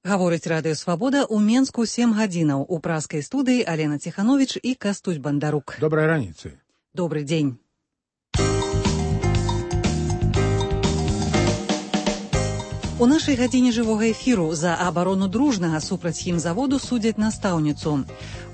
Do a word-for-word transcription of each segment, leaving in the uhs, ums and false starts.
Гаворыць Радыё Свабода ў Менску сем гадзінаў. У праскай студыі Алена Ціхановіч і Кастусь Бандарук. Добрай раніцы. Добры дзень. У нашай гадзіне жывога эфіру за абарону дружнага супраць хімзаводу судзяць настаўніцу.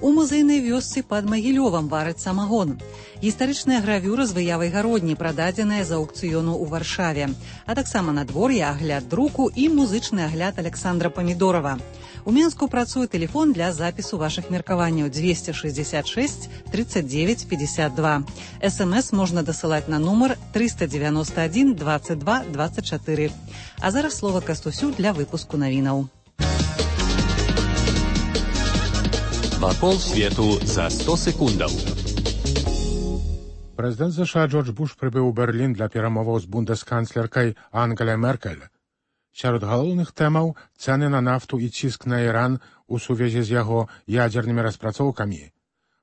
У музейнай вёсцы пад Магілёвам вараць самагон. Гістарычная гравюра з выявай гародні, прададзеная з аўкцыёну ў Варшаве. А таксама надвор'е, агляд друку і музычны агляд Александра Памідорова. У Менску працуе тэлефон для запісу вашых меркаванняў двести шестьдесят шесть тридцать девять пятьдесят два. СМС можна дасылаць на нумар триста девяносто один двадцать два двадцать четыре. А зараз слова Кастусю для выпуску навінаў. Вакол свету за сто секундаў. Прэзідэнт ЗША Джордж Буш прыбыў у Берлін для перамоваў з бундэсканцлеркай Ангеляй Меркель. Сярод галоўных тэмаў цэны на нафту і ціск на Іран у сувязі з яго ядзернымі распрацоўкамі.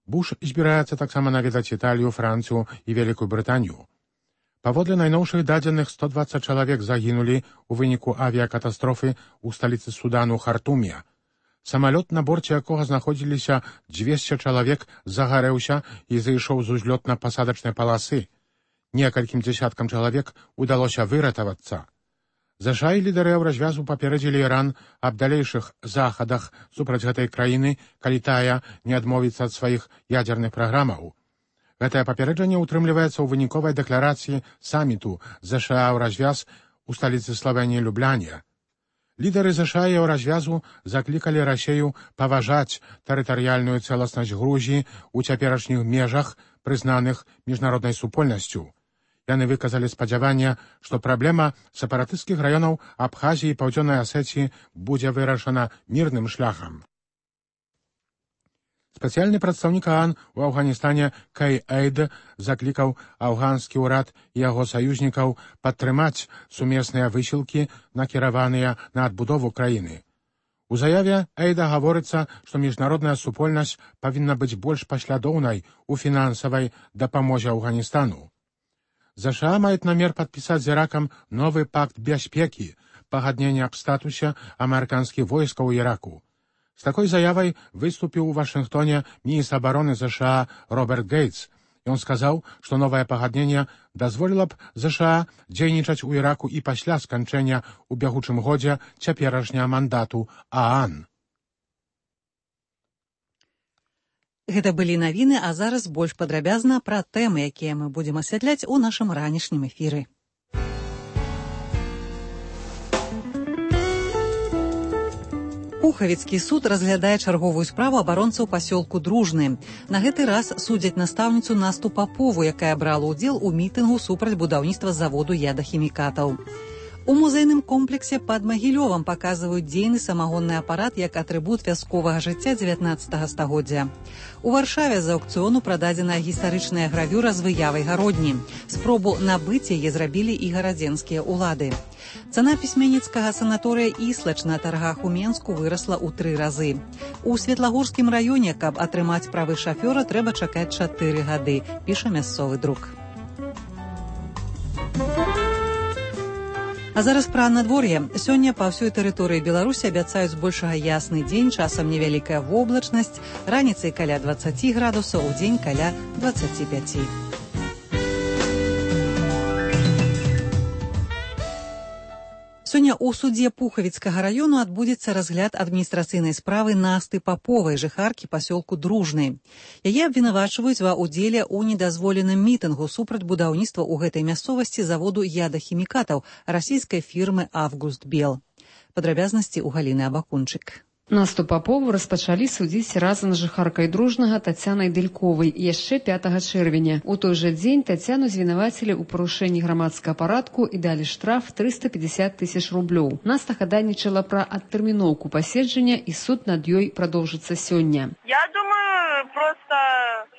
Буш збіраецца таксама наведаць Італію, Францыю і Вялікую Брытанію. Паводле найноўшых дадзеных сто двадцать чалавек загінулі ў выніку авіякатастрофы ў сталіцы Судану Хартуме. Самалёт, на борце якога знаходзіліся двести чалавек, загарэўся і зайшоў з узлётна-пасадачнай паласы. Некалькім дзесяткам чалавек удалося выратавацца. ЗША і лідары развязу паперадзілі Іран аб далейшых захадах супраць гэтай краіны, калі тая не адмовіцца ад сваіх ядзерных праграмаў. Гэтае папереджанне ўтрымліваецца ў выніковай дэкларацыі саміту ЗША ў развяз у сталіцы Славеніі Любляне. Лідары ЗША і развязу заклікалі Расею паважаць тэрытарыяльную цэласнасць Грузіі ў цяперашніх межах, прызнаных міжнароднай супольнасцю. Яны выказалі спадзяванне, што праблема сепаратысцкіх раёнаў Абхазіі і Паўдзённай Асетіі будзе вырашана мірным шляхам. Спецыяльны прадстаўнік ААН у Афганістане Кей Эйд заклікаў афганскі ўрад і яго саюзнікаў падтрымаць сумесныя высілкі, накіраваныя на адбудову краіны. У заяве Эйда гаворыцца, што міжнародная супольнасць павінна быць больш паслядоўнай у фінансавай дапамозе Афганістану. ЗША маюць намер падпісаць з Іракам новы пакт бяспекі, пагадненне аб статусе амерыканскіх войскаў у Іраку. З такой заявай выступіў у Вашынгтоне міністр абароны ЗША Роберт Гейтс. Ён сказаў, што новае пагадненне дазволіла б ЗША дзейнічаць у Іраку і пасля сканчэння ў бягучым годзе цяперашняга мандату ААН. Гэта былі навіны, а зараз больш падрабязна пра тэмы, якія мы будзем асвятляць у нашым ранішнім эфіры. Пухавіцкі суд разглядае чарговую справу абаронцаў пасёлку Дружны. На гэты раз судзяць настаўніцу Насту Папову, якая брала ўдзел у мітынгу супраць будаўніцтва заводу ядахімікатаў. У музейным комплексе пад Магілёвам паказваюць дзейны самагонны апарат як атрыбут вясковага жыцця дзевятнаццатага стагоддзя. У Варшаве з аўкцыёну прададзеная гістарычная гравюра з выявай гародні. Спробу набыць яе зрабілі і гарадзенскія ўлады. Цана пісьменніцкага санаторыя Іслач на таргах у Менску вырасла ў тры разы. У Светлагорскім раёне, каб атрымаць правы шафёра, трэба чакаць чатыры гады, піша мясцовы друк. А зараз пра надвор'е. Сёння па ўсёй тэрыторыі Беларусі абяцаюць збольшага ясны дзень, часам невялікая воблачнасць, раніцай каля двадцать градусаў, у дзень каля двадцать пять. Сёння ў судзе Пухавіцкага раёну адбудзецца разгляд адміністрацыйнай справы Насты Паповай, жыхаркі пасёлку Дружны. Яе абвінавачваюць ва ўдзеле ў недазволеным мітынгу супраць будаўніцтва ў гэтай мясцовасці заводу ядахімікатаў расійскай фірмы «Август Бел». Падрабязнасці ў Галіны Абакунчык. Насту Папову распачалі судзіць разам з жыхаркай Дружнага Тацянай Дэльковай яшчэ пятага чэрвеня. У той жа дзень Тацяну звінавацілі ў парушэнні грамадскага парадку і далі штраф триста пятьдесят тысяч рублёў. Наста хадайнічала пра адтэрміноўку паседжання і суд над ёй прадоўжыцца сёння. Я думаю, просто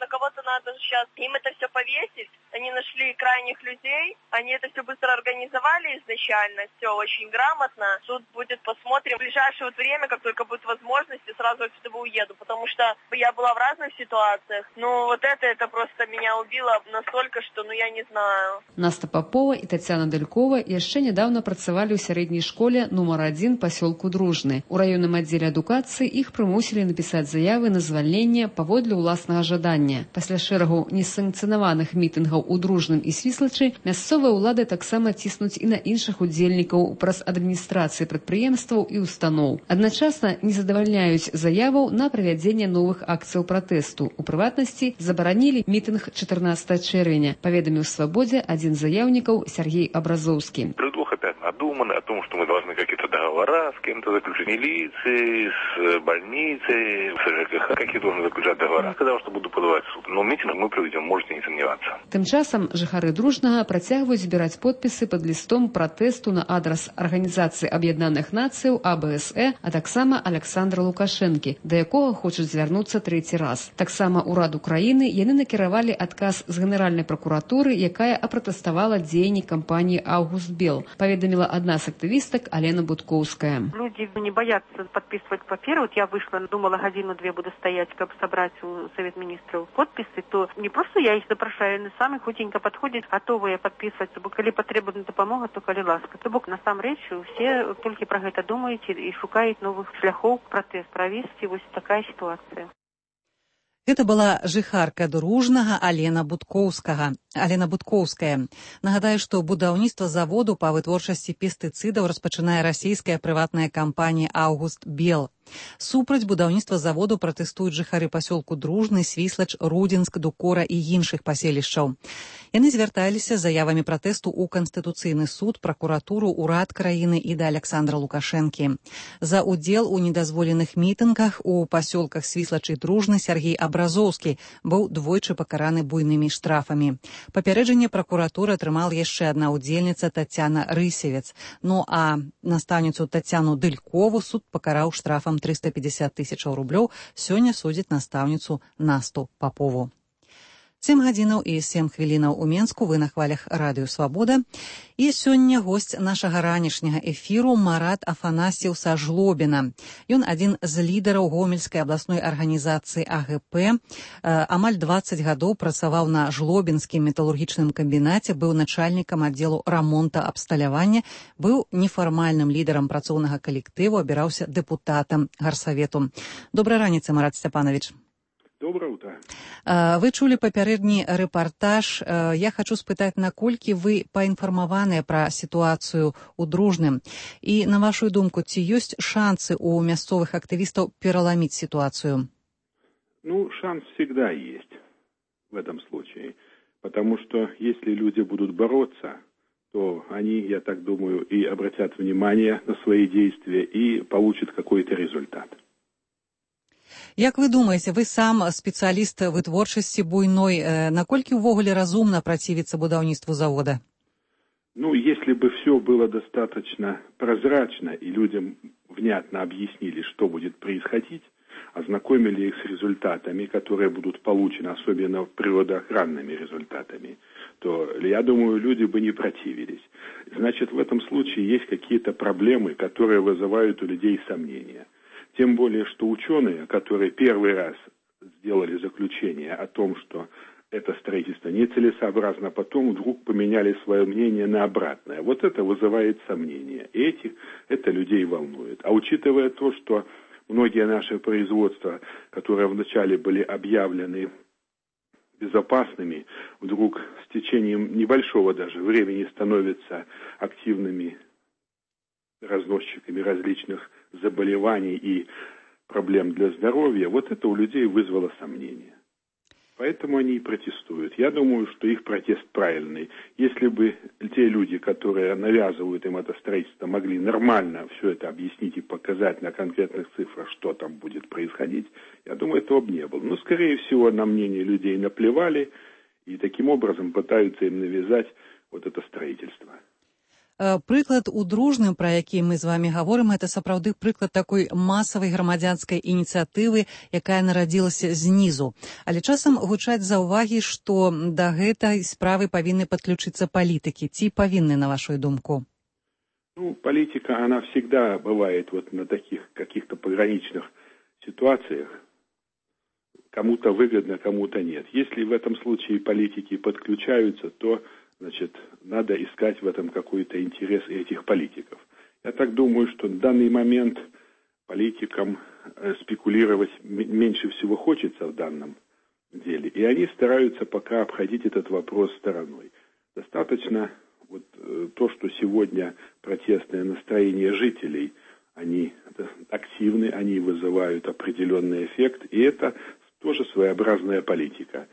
на кого-то надо нужно сейчас им это все повесить. Они нашли крайних людей, они это все быстро организовали изначально, все очень грамотно. Суд будет, посмотрим. В ближайшее вот время, как только будет возможность, я сразу отсюда уеду, потому что я была в разных ситуациях. Но вот это, это просто меня убило настолько, что, ну, я не знаю. Наста Попова і Тацяна Далькова яшчэ нядаўна працавалі ў сярэдняй школе нумар адзін пасёлку Дружны. У раённым аддзеле адукацыі іх прымусілі напісаць заявы на звальненне паводле ўласнага жадання. Пасля шэрагу несанкцыянаваных мітынгаў у Дружным і Свіслачы мясцовыя ўлады таксама ціснуць і на іншых удзельнікаў праз адміністрацыі прадпрыемстваў і устаноў. Адначасна не задавальняюць заяваў на правядзенне новых акцыяў пратэсту. У прыватнасці забаранілі мітынг чатырнаццатага чэрвеня, паведаміў «Свабодзе» адзін з заяўнікаў Сергей Абразоўскі. Предлог опять надуманный о том, что мы должны какие-то договора с кем-то заключить, милицией, с больницей, с ЖКХ, какие должны заключать договора. Сказал, что буду подавать в суд. Но митинг мы проведем, можете не сомневаться. Тым часам жыхары Дружнага працягваюць збіраць подпісы пад лістом пратэсту на адрас Арганізацыі Аб'яднаных Нацыяў А Б С Э, а таксама Аляксандра Лукашэнкі, да якога хочуць звярнуцца трэці раз. Таксама ўраду краіны яны накіравалі адказ з Генеральнай пракуратуры, якая апратэставала дзеянні кампаніі «Аўгуст Бел», паведаміла одна з актывістак Алена Будкоўская. Люди не боятся подписывать паперы. Вот я вышла, думала, годину-две буду стоять, как собрать у Совет Министров подписи, то не просто я их запрашаю, они сами хутенько подходят, готовые подписывать, бо коли потребует допомога, то коли ласка. То бок, на самом речи, все только про это думают и шукают новых шляхов протест провести. Вот такая ситуация. Гэта была жыхарка Дружнага Алена Будкоўскага. Алена Будкоўская. Нагадаю, што будаўніцтва заводу па вытворчасці пестыцыдаў распачынае расійская прыватная кампанія «Аўгуст Бел». Супраць будаўніцтва заводу пратэстуюць жыхары пасёлку Дружны, Свіслач, Рудзінск, Дукора і іншых паселішчаў. Яны звярталіся з заявамі пратэсту ў Канстытуцыйны суд, пракуратуру, урад краіны і да Аляксандра Лукашэнкі. За ўдзел у недазволеных мітынгах у пасёлках Свіслач і Дружны Сергей Абразоўскі быў двойчы пакараны буйнымі штрафамі. Папярэджанне пракуратуры атрымала яшчэ адна ўдзельніца Тацяна Рысевец. Ну а настаўніцу Тацяну Дылькову суд пакараў штрафам триста пятьдесят тысяч рублёў. Сёння судзіць настаўніцу Насту Папову. сем гадзінаў і сем хвілінаў у Менску, вы на хвалях радыё «Свабода». І сёння госць нашага ранішняга эфіру Марат Афанасьеў са Жлобіна. Ён адзін з лідараў Гомельскай абласной арганізацыі А Г П. Амаль дваццаць гадоў працаваў на Жлобінскім металургічным камбінаце, быў начальнікам аддзелу рамонта абсталявання, быў нефармальным лідарам працоўнага калектыву, абіраўся дэпутатам гарсавету. Добрай раніцы, Марат Сцяпанович. Доброе утро. Вы чулі папярэдні рэпартаж. Я хочу спытаць, наколькі вы паінфармаваныя пра сітуацыю ў Дружным. І, на вашу думку, ці ёсць шансы у мясцовых актывістаў пераламіць ситуацию? Ну, шанс всегда есть в этом случае. Потому что если люди будут бороться, то они, я так думаю, и обратят внимание на свои действия и получат какой-то результат. Як вы думаеце, вы сам спецыяліст вытворчасці буйной, наколькі ўвогуле разумна працівіцца будаўніцтву завода? Ну, если бы все было достаточно прозрачно и людям внятно объяснили, что будет происходить, ознакомили их с результатами, которые будут получены, особенно природоохранными результатами, то, я думаю, люди бы не противились. Значит, в этом случае есть какие-то проблемы, которые вызывают у людей сомнения. Тем более, что ученые, которые первый раз сделали заключение о том, что это строительство нецелесообразно, потом вдруг поменяли свое мнение на обратное. Вот это вызывает сомнения. И этих, это людей волнует. А учитывая то, что многие наши производства, которые вначале были объявлены безопасными, вдруг с течением небольшого даже времени становятся активными разносчиками различных заболеваний и проблем для здоровья, вот это у людей вызвало сомнения. Поэтому они и протестуют. Я думаю, что их протест правильный. Если бы те люди, которые навязывают им это строительство, могли нормально все это объяснить и показать на конкретных цифрах, что там будет происходить, я думаю, этого бы не было. Но, скорее всего, на мнение людей наплевали и таким образом пытаются им навязать вот это строительство. Прыклад у дружным, пра які мы з вамі гаворым, гэта сапраўды прыклад такой масавай грамадзянскай ініцыятывы, якая нарадзілася знізу. Але часам гучаць заўвагі, што да гэтай справы павінны падключыцца палітыкі. Ці павінны, на вашу думку? Ну, политика, она всегда бывает вот на таких каких-то пограничных ситуациях. Кому-то выгодно, кому-то нет. Если в этом случае политики подключаются, то, значит, надо искать в этом какой-то интерес этих политиков. Я так думаю, что в данный момент политикам спекулировать меньше всего хочется в данном деле. И они стараются пока обходить этот вопрос стороной. Достаточно вот то, что сегодня протестное настроение жителей, они активны, они вызывают определенный эффект, и это тоже своеобразная политика.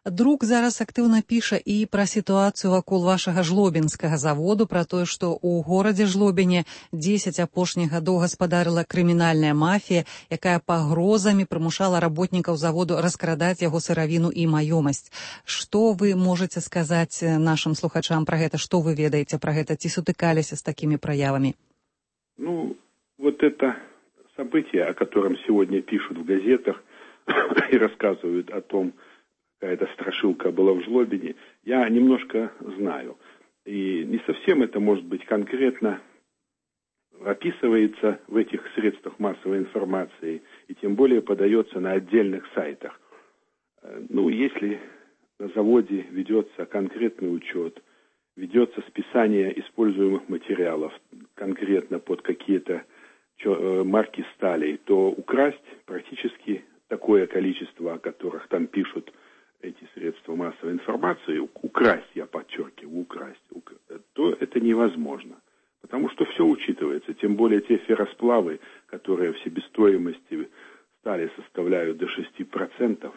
Друк зараз актыўна піша і пра сітуацыю вакол вашага жлобінскага заводу, пра тое, што ў горадзе Жлобіне дзесяць апошніх гадоў гаспадарыла крымінальная мафія, якая пагрозамі прымушала работнікаў заводу раскрадаць яго сыравіну і маёмасць. Што вы можаце сказаць нашым слухачам пра гэта? Што вы ведаеце пра гэта? Ці сутыкаліся з такімі праявамі? Ну, вот это событие, о котором сегодня пишут в газетах и рассказывают о том, какая-то страшилка была в Жлобине, я немножко знаю. И не совсем это, может быть, конкретно описывается в этих средствах массовой информации, и тем более подается на отдельных сайтах. Ну, если на заводе ведется конкретный учет, ведется списание используемых материалов конкретно под какие-то марки стали, то украсть практически такое количество, о которых там пишут эти средства массовой информации, украсть, я подчеркиваю, украсть, то это невозможно. Потому что все учитывается, тем более те ферросплавы, которые в себестоимости стали составляют до шести процентов,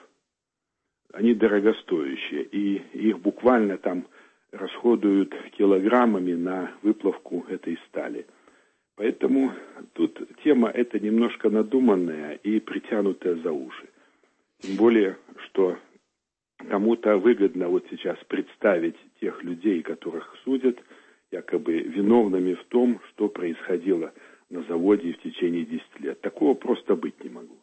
они дорогостоящие, и их буквально там расходуют килограммами на выплавку этой стали. Поэтому тут тема эта немножко надуманная и притянутая за уши. Тем более, что кому-то выгодно вот сейчас представить тех людей, которых судят, якобы виновными в том, что происходило на заводе в течение десяти лет. Такого просто быть не могло.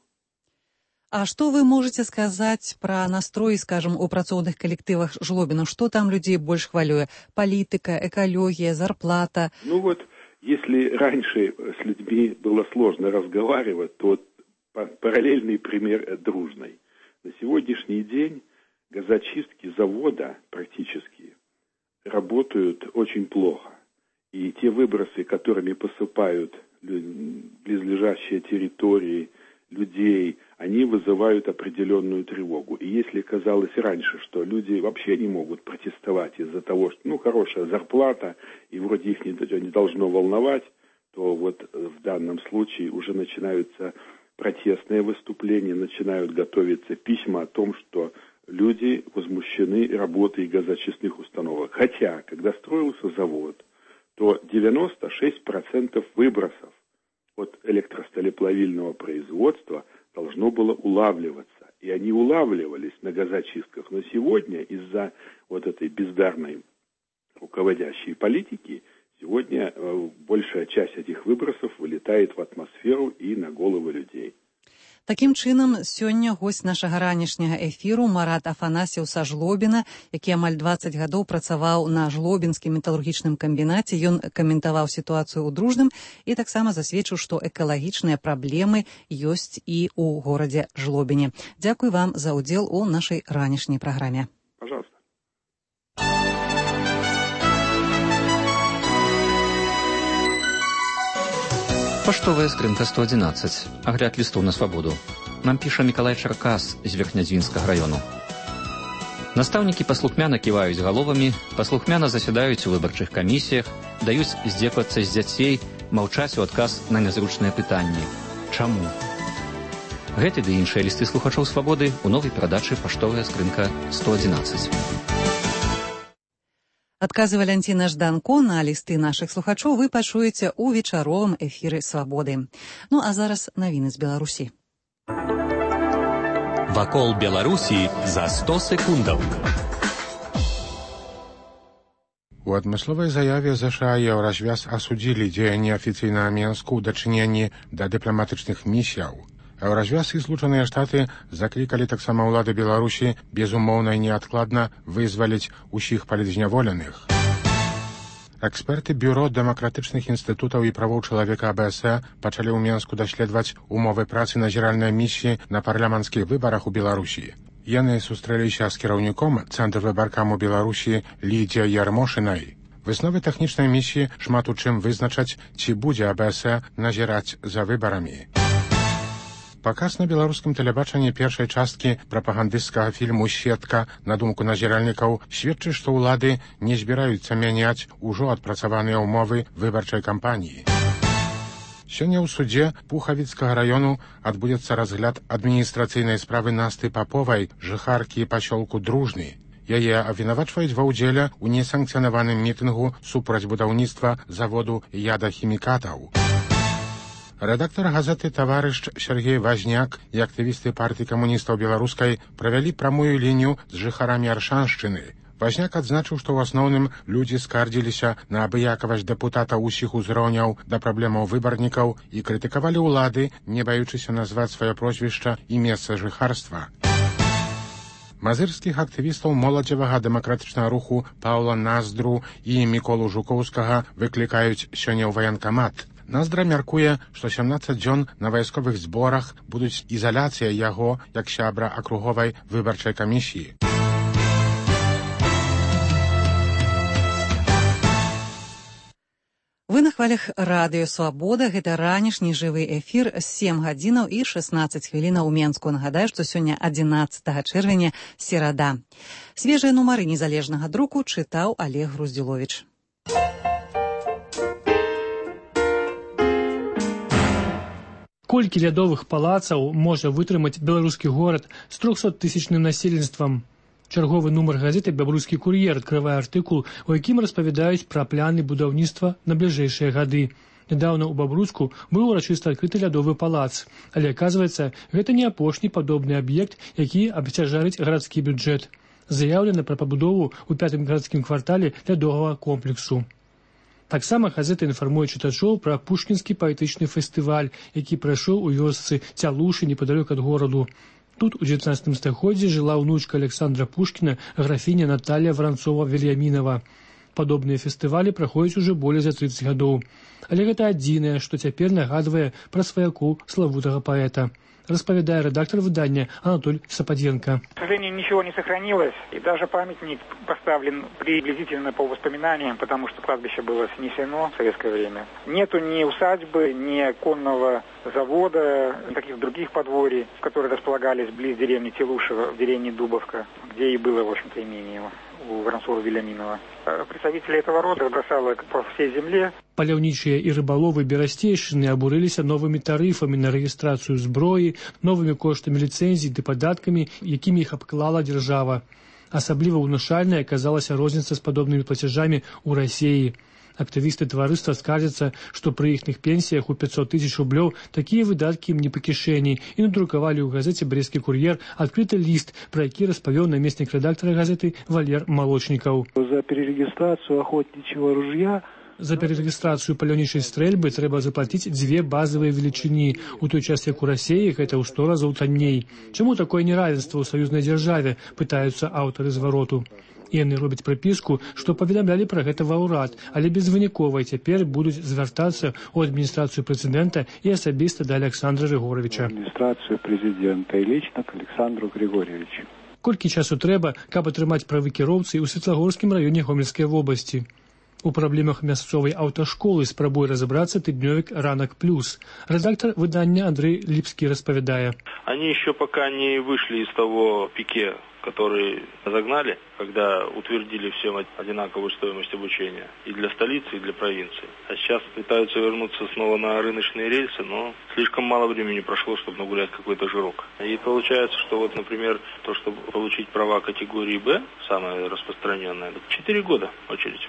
А што вы можаце сказаць пра настрой, скажем, у працоўных калектывах Жлобіна? Што там людзей больш хвалюе? Палітыка, экалогія, зарплата? Ну вот, если раньше с людьми было сложно разговаривать, то параллельный пример дружный. На сегодняшний день газочистки завода практически работают очень плохо. И те выбросы, которыми посыпают близлежащие территории, людей, они вызывают определенную тревогу. И если казалось раньше, что люди вообще не могут протестовать из-за того, что, ну, хорошая зарплата, и вроде их не, не должно волновать, то вот в данном случае уже начинаются протестные выступления, начинают готовиться письма о том, что люди возмущены работой газочистных установок. Хотя, когда строился завод, то девяносто шесть процентов выбросов от электросталеплавильного производства должно было улавливаться. И они улавливались на газочистках. Но сегодня из-за вот этой бездарной руководящей политики сегодня э, большая часть этих выбросов вылетает в атмосферу и на головы людей. Такім чынам, сёння госць нашага ранішняга эфіру Марат Афанасьеў са Жлобіна, які амаль дваццаць гадоў працаваў на Жлобінскім металургічным камбінаце. Ён каментаваў сітуацыю ў Дружным і таксама засведчыў, што экалагічныя праблемы ёсць і ў горадзе Жлобіне. Дзякуй вам за ўдзел у нашай ранішняй праграме. Пожалуйста. Паштовая скрынка сто одиннадцать. Агляд лістоў на свабоду. Нам піша Мікалай Чаркас з Верхнядзвінскага раёну. Настаўнікі паслухмяна ківаюць галовамі, паслухмяна засядаюць у выбарчых камісіях, даюць здзеквацца з дзяцей, маўчаць у адказ на нязручныя пытанні. Чаму? Гэты ды іншыя лісты слухачоў свабоды ў новай перадачы «Паштовая скрынка сто одиннадцать». Адказы Валянціна Жданко на лісты нашых слухачоў вы пачуеце ў вечаровым эфіры «Свабоды». Ну а зараз навіны з Беларусі. Вакол Беларусі за сто секундаў. У адмысловай заяве ЗША і Еўразвяз асудзілі дзеянні афіцыйнага Менску ў дачыненні да дыпламатычных місіяў. Еўразвяз і Злучаныя Штаты заклікалі таксама ўлады Беларусі безумоўна і неадкладна вызваліць усіх палітзняволеных. Эксперты Бюро дэмакратычных інстытутаў і правоў чалавека АБС пачалі ў Менску даследаваць умовы працы назіральнай місіі на парламенцкіх выбарах у Беларусі. Яны сустрэліся з кіраўніком Цэнтр выбаркам у Беларусі Лідзіяй Ярмошынай. Высновы тэхнічнай місіі шмат у чым вызначаць, ці будзе АБС назіраць за выбарамі. Паказ на беларускім тэлебачанні першай часткі прапагандысцкага фільму «Сетка», на думку назіральнікаў, сведчыць, што ўлады не збіраюцца мяняць ужо адпрацаваныя ўмовы выбарчай кампаніі. Сёння ў судзе Пухавіцкага раёну адбудзецца разгляд адміністрацыйнай справы Насты Паповай, жыхаркі пасёлку Дружны. Яе абвінавачваюць ва ўдзеле ў несанкцыянаваным мітынгу супраць будаўніцтва заводу ядахімікатаў. Рэдактар газеты «Таварыш» Сергей Вазняк і актывісты партыі камуністаў беларускай правялі прамую лінію з жыхарамі Аршаншчыны. Вазняк адзначыў, што ў асноўным людзі скардзіліся на абыякавасць дэпутата ўсіх узроўняў да праблемаў выбарнікаў і крытыкавалі ўлады, не баючыся назваць сваё прозвішча і месца жыхарства. Мазырскіх актывістаў моладзевага дэмакратычнага руху Паўла Наздру і Міколу Жукоўскага выклікаюць сёння ў ваенкамат. Наздра мяркуе, што сямнаццаць дзён на вайсковых зборах будуць ізаляцыя яго як сябра акруговай выбарчай камісіі. Вы на хвалях радыё «Свабода». Гэта ранішні жывы эфір з сем гадзінаў і шэснаццаць хвілінаў у Менску. Нагадаю, што сёння адзінаццатага чэрвеня, серада. Свежыя нумары незалежнага друку чытаў Олег Груздзіловіч. Колькі лядовых палацаў можа вытрымаць беларускі горад з трохсоттысячным насельніцтвам? Чарговы нумар газеты «Бябрускі кур'ер» адкрывае артыкул, у якім распавядаюць пра планы будаўніцтва на бліжэйшыя гады. Нядаўна ў Бабруцку быў урачыста адкрыты лядовы палац, але, аказваецца, гэта не апошні падобны аб'ект, які абцяжарыць гарадскі бюджэт. Заяўлена пра пабудову ў пятым гарадскім квартале лядовага комплексу. Таксама газета інфармуе чытачоў пра пушкінскі паэтычны фестываль, які прайшоў у вёсцы Цялушы непадалёк ад гораду. Тут у дзевятнаццатым стагоддзі жыла ўнучка Александра Пушкіна, графіня Наталія Варанцова-Вільямінава. Падобныя фестывалі праходзяць ужо болей за трыццаць гадоў. Але гэта адзінае, што цяпер нагадвае пра сваяку славутага паэта. Распавядае редактор выдания Анатолий Сападенко. К сожалению, ничего не сохранилось, и даже памятник поставлен приблизительно по воспоминаниям, потому что кладбище было снесено в советское время. Нету ни усадьбы, ни конного завода, никаких других подворий, которые располагались близ деревни Телушева, в деревне Дубовка, где и было, в общем-то, имение его у Воронцова-Вильяминова. Представители этого рода бросало по всей земле. Паляўнічыя і рыбаловы Берасцейшчыны абурыліся новымі тарыфамі на рэгістрацыю зброі, новымі коштамі ліцэнзій ды падаткамі, якімі іх абклала дзяржава. Асабліва ўнушальнай аказалася розніца з падобнымі плацяжамі ў Расіі. Актывісты таварыства скардзяцца, што пры іхных пенсіях у пятьсот тысяч рублёў такія выдаткі ім не па кішэні, і надрукавалі ў газеце «Брестскі кур'ер» адкрыты ліст, пра які распавёў намеснік рэдактара газеты Валер Малочнікаў. За перерегістрацыю охотнічьего ружья За перарэгістрацыю паляўнічай стрэльбы трэба заплаціць дзве базавыя велічыні, у той час як у Расіі гэта ў сто разоў танней. Чаму такое неравенства ў саюзнай дзяржаве, пытаюцца аўтары звароту. Яны робяць прыпіску, што паведамлялі пра гэта ва ўрад, але безвынікова цяпер будуць звяртацца ў адміністрацыю прэзідэнта і асабіста да Александра Григорьевича. Адміністрацыю прэзідэнта і лічна к Александру Григорьевичу. Колькі часу трэба, каб атрымаць правы кіроўцы ў Светлагорскім раёне Гомельскай вобласці? У праблемах мясцовай аўташколы спрабуе разобраться тыднёвік «Ранок плюс». Редактор выдания Андрей Липский распавядае. Они еще пока не вышли из того пике, который загнали, когда утвердили всем одинаковую стоимость обучения и для столицы, и для провинции. А сейчас пытаются вернуться снова на рыночные рельсы, но слишком мало времени прошло, чтобы нагулять какой-то жирок. И получается, что вот, например, то, чтобы получить права категории «Б», самое распространенное, четыре года очередь.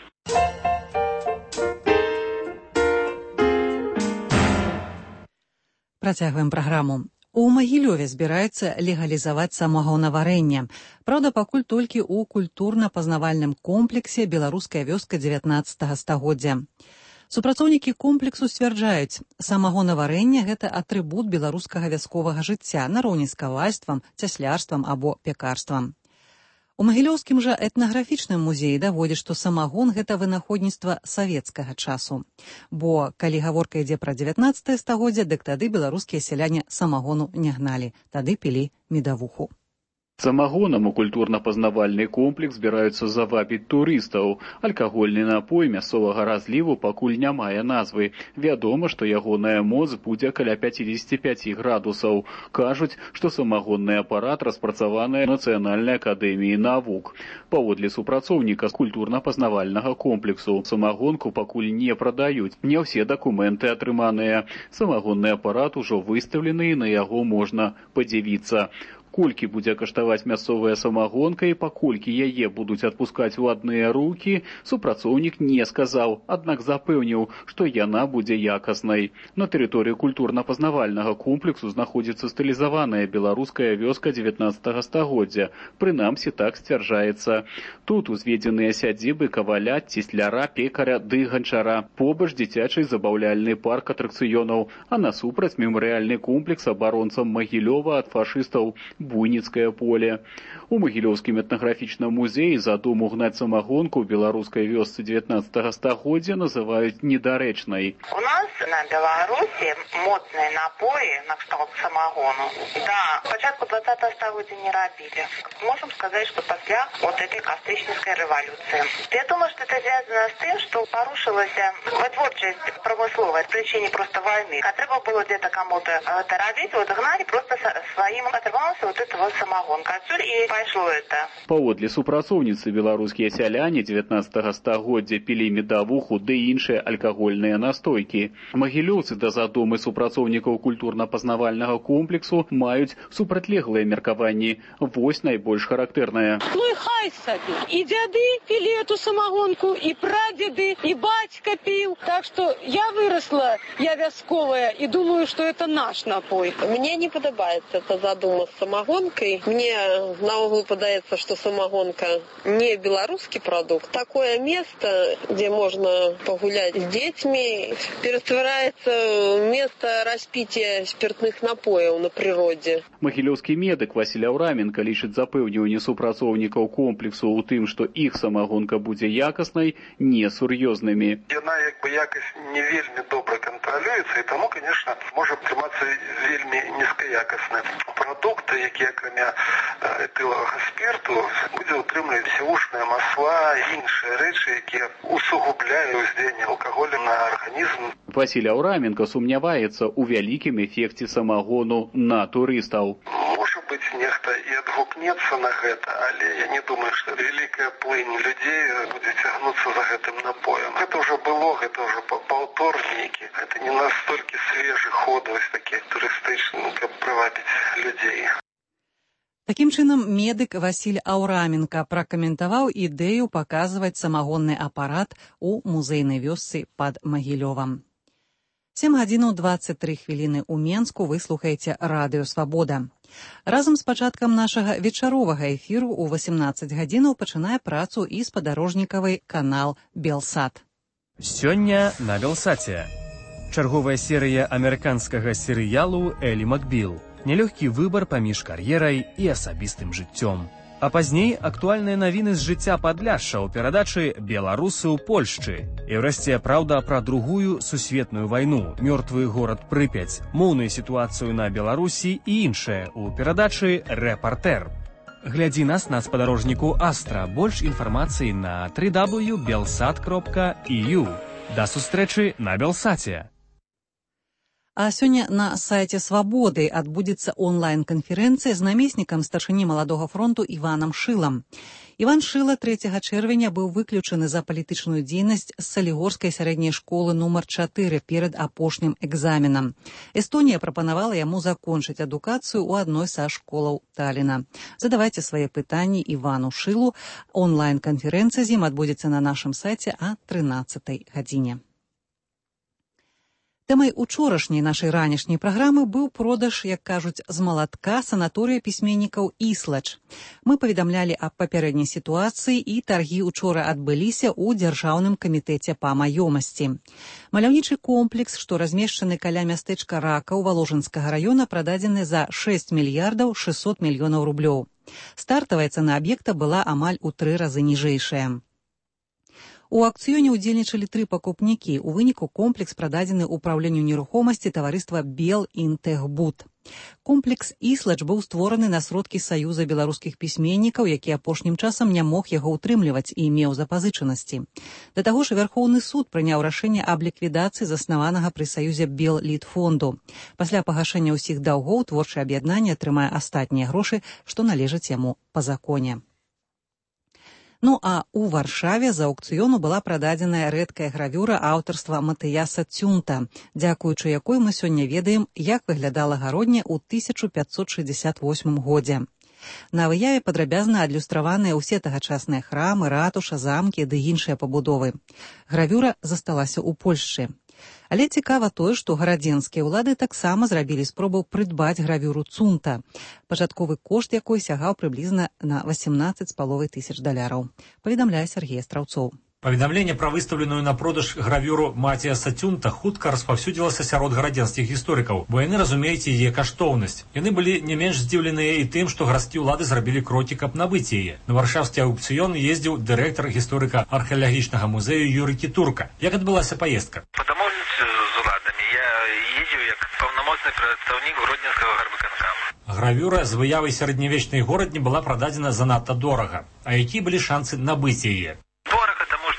Працягваем праграму. У Магілёве збіраюцца легалізаваць самагонаварэнне. Праўда, пакуль толькі ў культурна-пазнавальным комплексе «Беларуская вёска дзевятнаццатага стагоддзя». Супрацоўнікі комплексу сцвярджаюць, самагонаварэнне – гэта атрыбут беларускага вясковага жыцця нароўні з кавальствам, цяслярствам або пякарствам. У Магілёўскім жа этнаграфічным музеі даводзяць, што самагон – гэта вынаходніцтва савецкага часу. Бо, калі гаворка ідзе пра дзевятнаццатае стагоддзе, дык тады беларускія сяляне самагону не гналі, тады пілі медавуху. Самагонам у культурна-пазнавальны комплекс збіраюцца завабіць турыстаў. Алкагольны напой мясцовага разліву пакуль не мае назвы. Вядома, што ягоная моц будзе каля пяцьдзесят пять градусаў. Кажуць, што самагонны апарат распрацаваны Нацыянальнай акадэміі навук. Паводле супрацоўніка культурна-пазнавальнага комплексу, самагонку пакуль не прадаюць. Не ўсе дакументы атрыманыя. Самагонны апарат ужо выстаўлены і на яго можна падзівіцца. Колькі будзе каштаваць мясцовая самагонка і паколькі яе будуць адпускаць у адныя рукі, супрацоўнік не сказаў, аднак запэўніў, што яна будзе якаснай. На тэрыторыі культурна-пазнавальнага комплексу знаходзіцца стылізаваная беларуская вёска дзевятнаццатага стагоддзя. Прынамсі так сцвярджаецца. Тут узведзеныя сядзібы каваля, цесляра, пекаря ды ганчара. Побач дзіцячы забаўляльны парк атракцыёнаў, а насупраць мемарыяльны комплекс абаронцам Магілёва ад фашыстаў Буйніцкае поле. У Магілёўскім этнаграфічным музеі задуму гнаць самагонку ў беларускай вёсцы дзевятнаццатага стагоддзя называюць недарэчнай. У нас на Беларусі моцныя напоі на кшталт самагону да пачатку двадцатого стагоддзя не рабілі. Можем сказать, что после вот этой кастрычніцкай рэволюции. Я думаю, что это связано с тем, что порушилась вытворчасць промысловая, причине просто войны. А треба было где-то кому-то это робить, вот гнали просто своим оторвался вот этого самогонка. Отсюда и пошло это. Паводле супрацоўніцы беларускія сяляне дзевятнаццатага стагоддзя пілі медавуху ды іншыя алкагольныя настойкі. Магілёўцы да задумы супрацоўнікаў культурна-пазнавальнага комплексу маюць супрацьлеглыя меркаванні. Вось найбольш характэрнае. Ну і хай сабе. І дзяды пілі эту самогонку, і прадзеды, і бацька піў. Так што я выросла, я вясковая, і думаю, што это наш напой. Мне не падабаецца эта задума з самогонкой. Мне наогул падаецца, что самогонка не белорусский продукт. Такое место, где можно погулять с детьми, перетворяется в место распития спиртных напоев на природе. Магілёўскі медык Васіль Аўраменка лічыць запэўніванне супрацоўнікаў комплексу ў тым, што іх самогонка будзе якаснай, несур'ёзнымі. Яна як бы якасць не вельмі добра кантралюецца, і таму, конечно, можа атрымацца вельмі нізкаякасны продукт, які акрамя этылавага спирту будзе ўтрымліваць сівушныя масла і іншыя рэчы, якія усугубляюць уздзеянне алкаголю на арганізм. Васіль Аўраменка сумняваецца ў вялікім эфекце самогону на турыстаў. Можа быць, нехта і адгукнецца на гэта, але я не думаю, што вялікая плынь людзей будзе цягнуцца за гэтым напоем. Гэта ўжо было, гэта ўжо паўтор нейкі. Гэта не настолькі свежы ход, вось такі турыстычны, каб прывабіць людзей. Такім чынам, медык Васіль Аўраменка пракаментаваў ідэю паказваць самагонны апарат у музейнай вёсцы пад Магілёвам. сем гадзінаў дваццаць тры хвіліны ў Менску вы слухаеце радыё «Свабода». Разам з пачаткам нашага вечаровага эфіру ў восемнаццаць гадзінаў пачынае працу і спадарожнікавы канал «Белсат». Сёння на «Белсаце». Чарговая серыя амерыканскага серыялу «Элі Макбіл». Нелёгкі выбар паміж кар'ерай і асабістым жыццём. А пазней актуальныя навіны з жыцця Падляшша ў перадачы «Беларусы ў Польшчы». І ўрэшце праўда пра другую сусветную вайну, мёртвы горад Прыпяць, моўную сітуацыю на Беларусі і іншае ў перадачы «Рэпартэр». Глядзі нас на спадарожніку Астра. Больш інфармацыі на дабл ю дабл ю крапка белсат крапка і ю. Да сустрэчы на Белсаце. А сёння на сайце «Свабоды» адбудзецца онлайн-канферэнцыя з намеснікам старшыні маладога фронту Іванам Шылам. Іван Шыла трэцяга чэрвеня быў выключаны за палітычную дзейнасць з Салігорскай сярэдняй школы нумар чатыры перад апошнім экзаменам. Эстонія прапанавала яму закончыць адукацыю ў адной са школаў Талліна. Задавайце свае пытанні Івану Шылу. Онлайн-канферэнцыя з ім адбудзецца на нашым сайце а трынаццатай гадзіне. Тэмай учорашняй нашай ранішняй праграмы быў продаж, як кажуць, з малатка санаторыя пісьменнікаў «Іслач». Мы паведамлялі аб папярэдняй сітуацыі, і таргі учора адбыліся ў Дзяржаўным камітэце па маёмасці. Маляўнічы комплекс, што размешчаны каля мястэчка Ракаў Валожынскага раёна, прададзены за шэсць мільярдаў шэсцьсот мільёнаў рублёў. Стартавая цана аб'екта была амаль у тры разы ніжэйшая. У аўкцыёне ўдзельнічалі тры пакупнікі. У выніку комплекс прададзены ўпраўленню нерухомасці таварыства «Белінтэгбуд». Комплекс «Іслач» быў створаны на сродкі Саюза беларускіх пісьменнікаў, які апошнім часам не мог яго ўтрымліваць і меў запазычанасці. Да таго ж Вярхоўны суд прыняў рашэнне аб ліквідацыі заснаванага пры Саюзе Беллітфонду. Пасля пагашэння ўсіх даўгоў творчае аб'яднанне атрымае астатнія грошы, што належаць яму па законе. Ну а у Варшаве з аўкцыёну была прададзеная рэдкая гравюра аўтарства Матыяса Цюнта, дзякуючы якой мы сёння ведаем, як выглядала гародня ў тысяча пятьсот шестьдесят восьмым годзе. На выяве падрабязна адлюстраваныя ўсе тагачасныя храмы, ратуша, замкі ды іншыя пабудовы. Гравюра засталася ў Польшчы. Але цікава тое, што гарадзенскія ўлады таксама зрабілі спробу прыдбаць гравюру Цунта, пачатковы кошт якой сягаў прыблізна на восемнадцаць з паловай тысяч даляраў. Паведамляе Сергей Страўцоў. Паведамленне пра выстаўленую на продаж гравюру Матіяса Цюнта хутка распаўсюдзілася сярод гарадзенскіх гісторыкаў, бо яны разумеюць яе каштоўнасць. Яны былі не менш здзіўленыя і тым, што гарадскія ўлады зрабілі крокі, каб набыць яе. На варшаўскі аўкцыён ездзіў дырэктар гісторыка археалагічнага музею Юрый Кітурка. Як адбылася паездка? Па дамоўніцтве з уладамі я ездзіў як паўнамоцны прадстаўнік гродненскага гарвыканкама. Гравюра з выявай сярэднявечнай горадні была прададзена занадта дорага. А якія былі шансы набыць яе?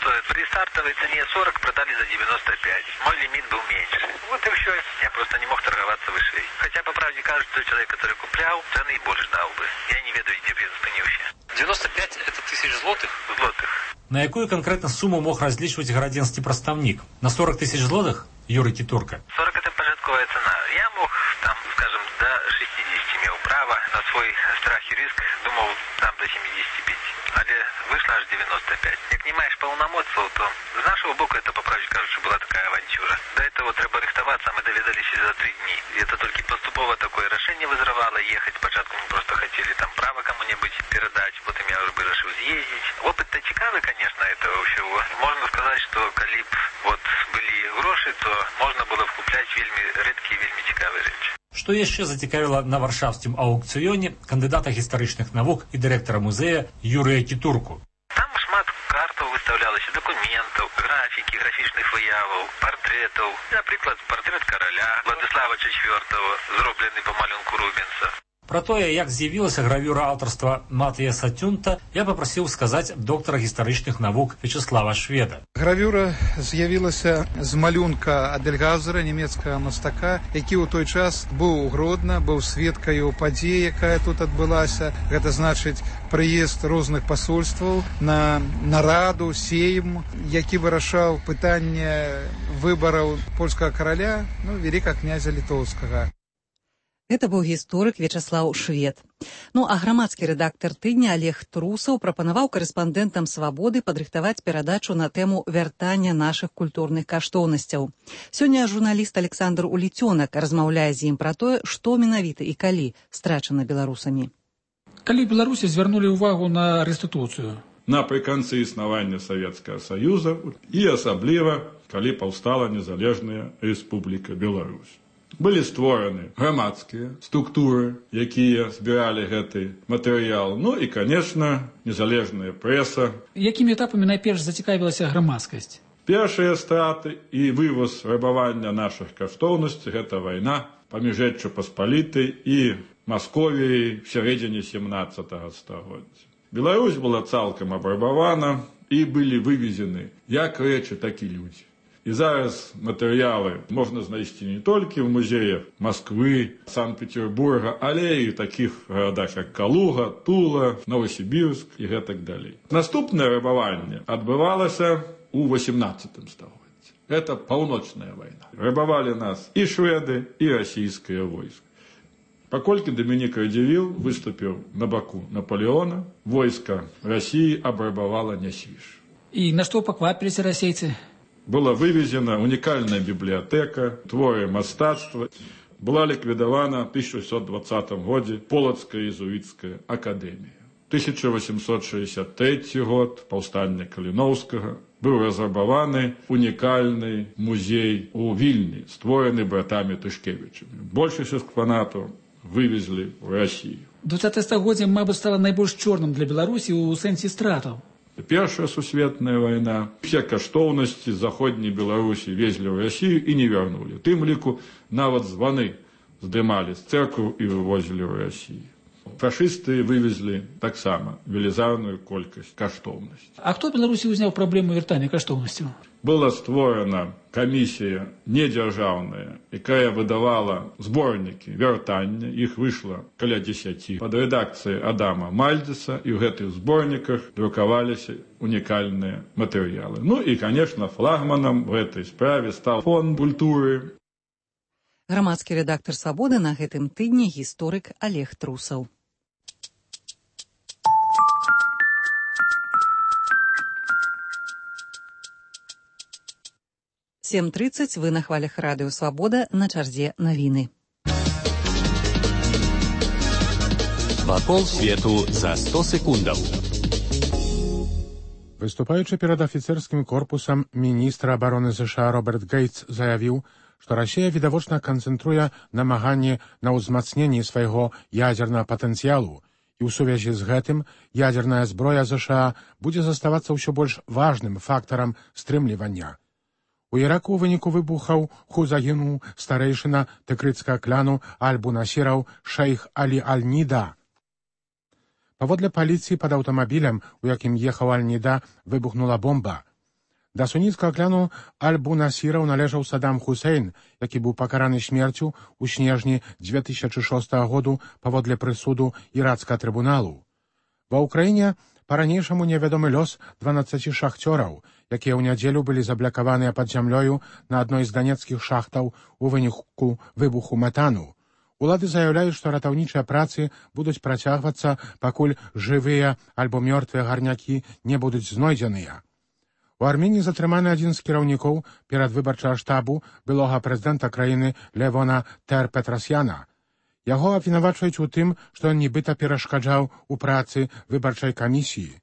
При стартовой цене сорок продали за девяносто пять. Мой лимит был меньше. Вот и все. Я просто не мог торговаться выше. Хотя, по правде, кажется, человек, который куплял, цены и больше дал бы. Я не ведаю, где я спынился. девяносто пять это тысяч злотых? Злотых. На якую конкретно сумму мог различивать гарадзенскі прадстаўнік? На сорок тысяч злотых? Юрий Кітурка. сорок это пожитковая цена. Я мог, там, скажем, до шестидесяти имел право. На свой страх и риск думал, там до семидесяти пяти. Але вышло аж девяносто пять. Як не маешь полномочий, то с нашего боку это, по правде кажется, была такая авантюра. До этого треба рихтоваться, мы доведались за три дни. И это только поступово такое решение вызрывало ехать. Спочатку мы просто хотели там право кому-нибудь передать, потом я уже решил съездить. Опыт-то цікавый, конечно, этого всего. Можно сказать, что коли б вот были гроши, то можно было вкуплять вельми редкие, вельми цікавые речи. Што яшчэ зацікавіла на варшаўскім аўкцыёне кандыдата гістарычных навук і дырэктара музея Юрыя Кітурку? Там шмат картаў выстаўлялася, дакументаў, графікі, графічных выяваў, партрэтаў. Напрыклад, партрэт караля Владислава чацвёртага, зроблены па малюнку Рубенса. Пра тое, як з'явілася гравюра аўтарства Матыяса Цюнта, я папрасіў сказаць доктара гістарычных навук Вячеслава Шведа. Гравюра з'явілася з малюнка Адельгаузера, нямецкага мастака, які ў той час быў у Гродна, быў сведкаю падзеі, якая тут адбылася. Гэта значыць прыезд розных пасольстваў на нараду, сейм, які вырашаў пытанне выбараў польскага караля, ну, вялікага князя літоўскага. Гэта быў гісторык Вячеслав Швед. Ну а грамадскі рэдактар тыдня Олег Трусаў прапанаваў карэспандэнтам «Свабоды» падрыхтаваць перадачу на тэму вяртання нашых культурных каштоўнасцяў. Сёння журналіст Александр Уліцёнак размаўляе з ім пра тое, што менавіта і калі страчана беларусамі. Калі Беларусі звярнулі ўвагу на рэстытуцыю? Напрыканцы існавання Савецкага Саюза і асабліва, калі паўстала незалежная Рэспубліка Беларусь. Былі створаны грамадскія структуры, якія збіралі гэты матэрыял. Ну і, конечно, незалежная прэса. Якімі этапамі найперш зацікавілася грамадскасць? Першыя страты і вывоз рабавання нашых каштоўнасцей – гэта вайна паміж Рэччу Паспалітай і Масковіяй в сярэдзіне сямнаццатага стагоддзя. Беларусь была цалкам абрабавана і былі вывезены як рэчы, так і людзі. І зараз матэрыялы можна знайсці не толькі ў музеях Москвы, Санкт-Петербурга, але і ў такіх гарадах, як Калуга, Тула, Новосібірск і гэтак далей. Наступнае рабаванне адбывалася ў восемнаццатым стагоддзі. Гэта паўночная вайна. Рабавалі нас і шведы, і расійскае войска. Паколькі Дамінік Радзівіл выступіў на баку Наполеона, войска Расіі абрабавала Нясвіж. І на што паквапіліся расейцы? была вывезена уникальная библиотека, творы мастацтва. Была ликвидована в тысяча восемьсот двадцатом году Полоцкая иезуитская академия. тысяча восемьсот шестьдесят третий год, повстание Калиновского, был разрабованы унікальний музей у Вільні, створений братами Тышкевичами. Большасць экспонатаў вывезли в Россию. двадцатае стагоддзе, мабыць, стала найбольш чорным для Беларусі ў сэнсе стратаў. Першая сусветная война. Все каштоўнасці з заходняй Беларусі везли в Россию и не вернули. Тым ліку нават званы здымали з церкваў и вывозили в Россию. Фашисты вывезли таксама велізарную колькасць каштоўнасць. А хто в Беларусі ўзняў праблему вяртання каштоўнасцяў? Была створена камісія недзяржаўная, якая выдавала зборнікі вяртання. Іх выйшла каля дзесяці. Пад рэдакцыяй Адама Мальдзеса, і ў гэтых зборніках друкаваліся унікальныя матэрыялы. Ну і, конечно, флагманам в этой справе стал фонд культуры. Грамадскі рэдактар «Свабоды» на гэтым тыдні гісторык Олег Трусаў. сем тридцать, вы на хвалях радыё «Свабода», на чарзе навіны. Вакол свету за сто секундаў. Выступаючы перад афіцэрскім корпусам, міністр абароны ЗША Роберт Гейтс заявіў, што Расія відавочна канцэнтруе намаганні на ўзмацненні свайго ядзернага патэнцыялу, і ў сувязі з гэтым ядзерная зброя ЗША будзе заставацца ўсё больш важным фактарам стрымлівання. У Іраку ў выніку выбухаў ху загінуў старэйшына тэкрыцкага кляну аль-Бунасіраў шэйх Алі Аль-Ніда. Паводле паліцыі, пад аўтамабілем, у якім ехаў Аль-Ніда, выбухнула бомба. Да суніцкага кляну аль-Бунасіраў належаў Садам Хусейн, які быў пакараны смерцю ў снежні дзве тысячы шостага году паводле прысуду ірацкага трыбуналу. Ва ўкраіне па-ранейшаму невядомы лёс дванаццаці шахцёраў, якія ў нядзелю былі заблакаваныя пад зямлёю на адной з данецкіх шахтаў у выніку выбуху метану. Улады заяўляюць, што ратаўнічыя працы будуць працягвацца, пакуль жывыя альбо мёртвыя гарнякі не будуць знойдзеныя. У Арменіі затрыманы адзін з кіраўнікоў перадвыбарчага штабу былога прэзідэнта краіны Левона Тер-Петрасяна. Яго абвінавачваюць у тым, што ён нібыта перашкаджаў у працы выбарчай камісіі.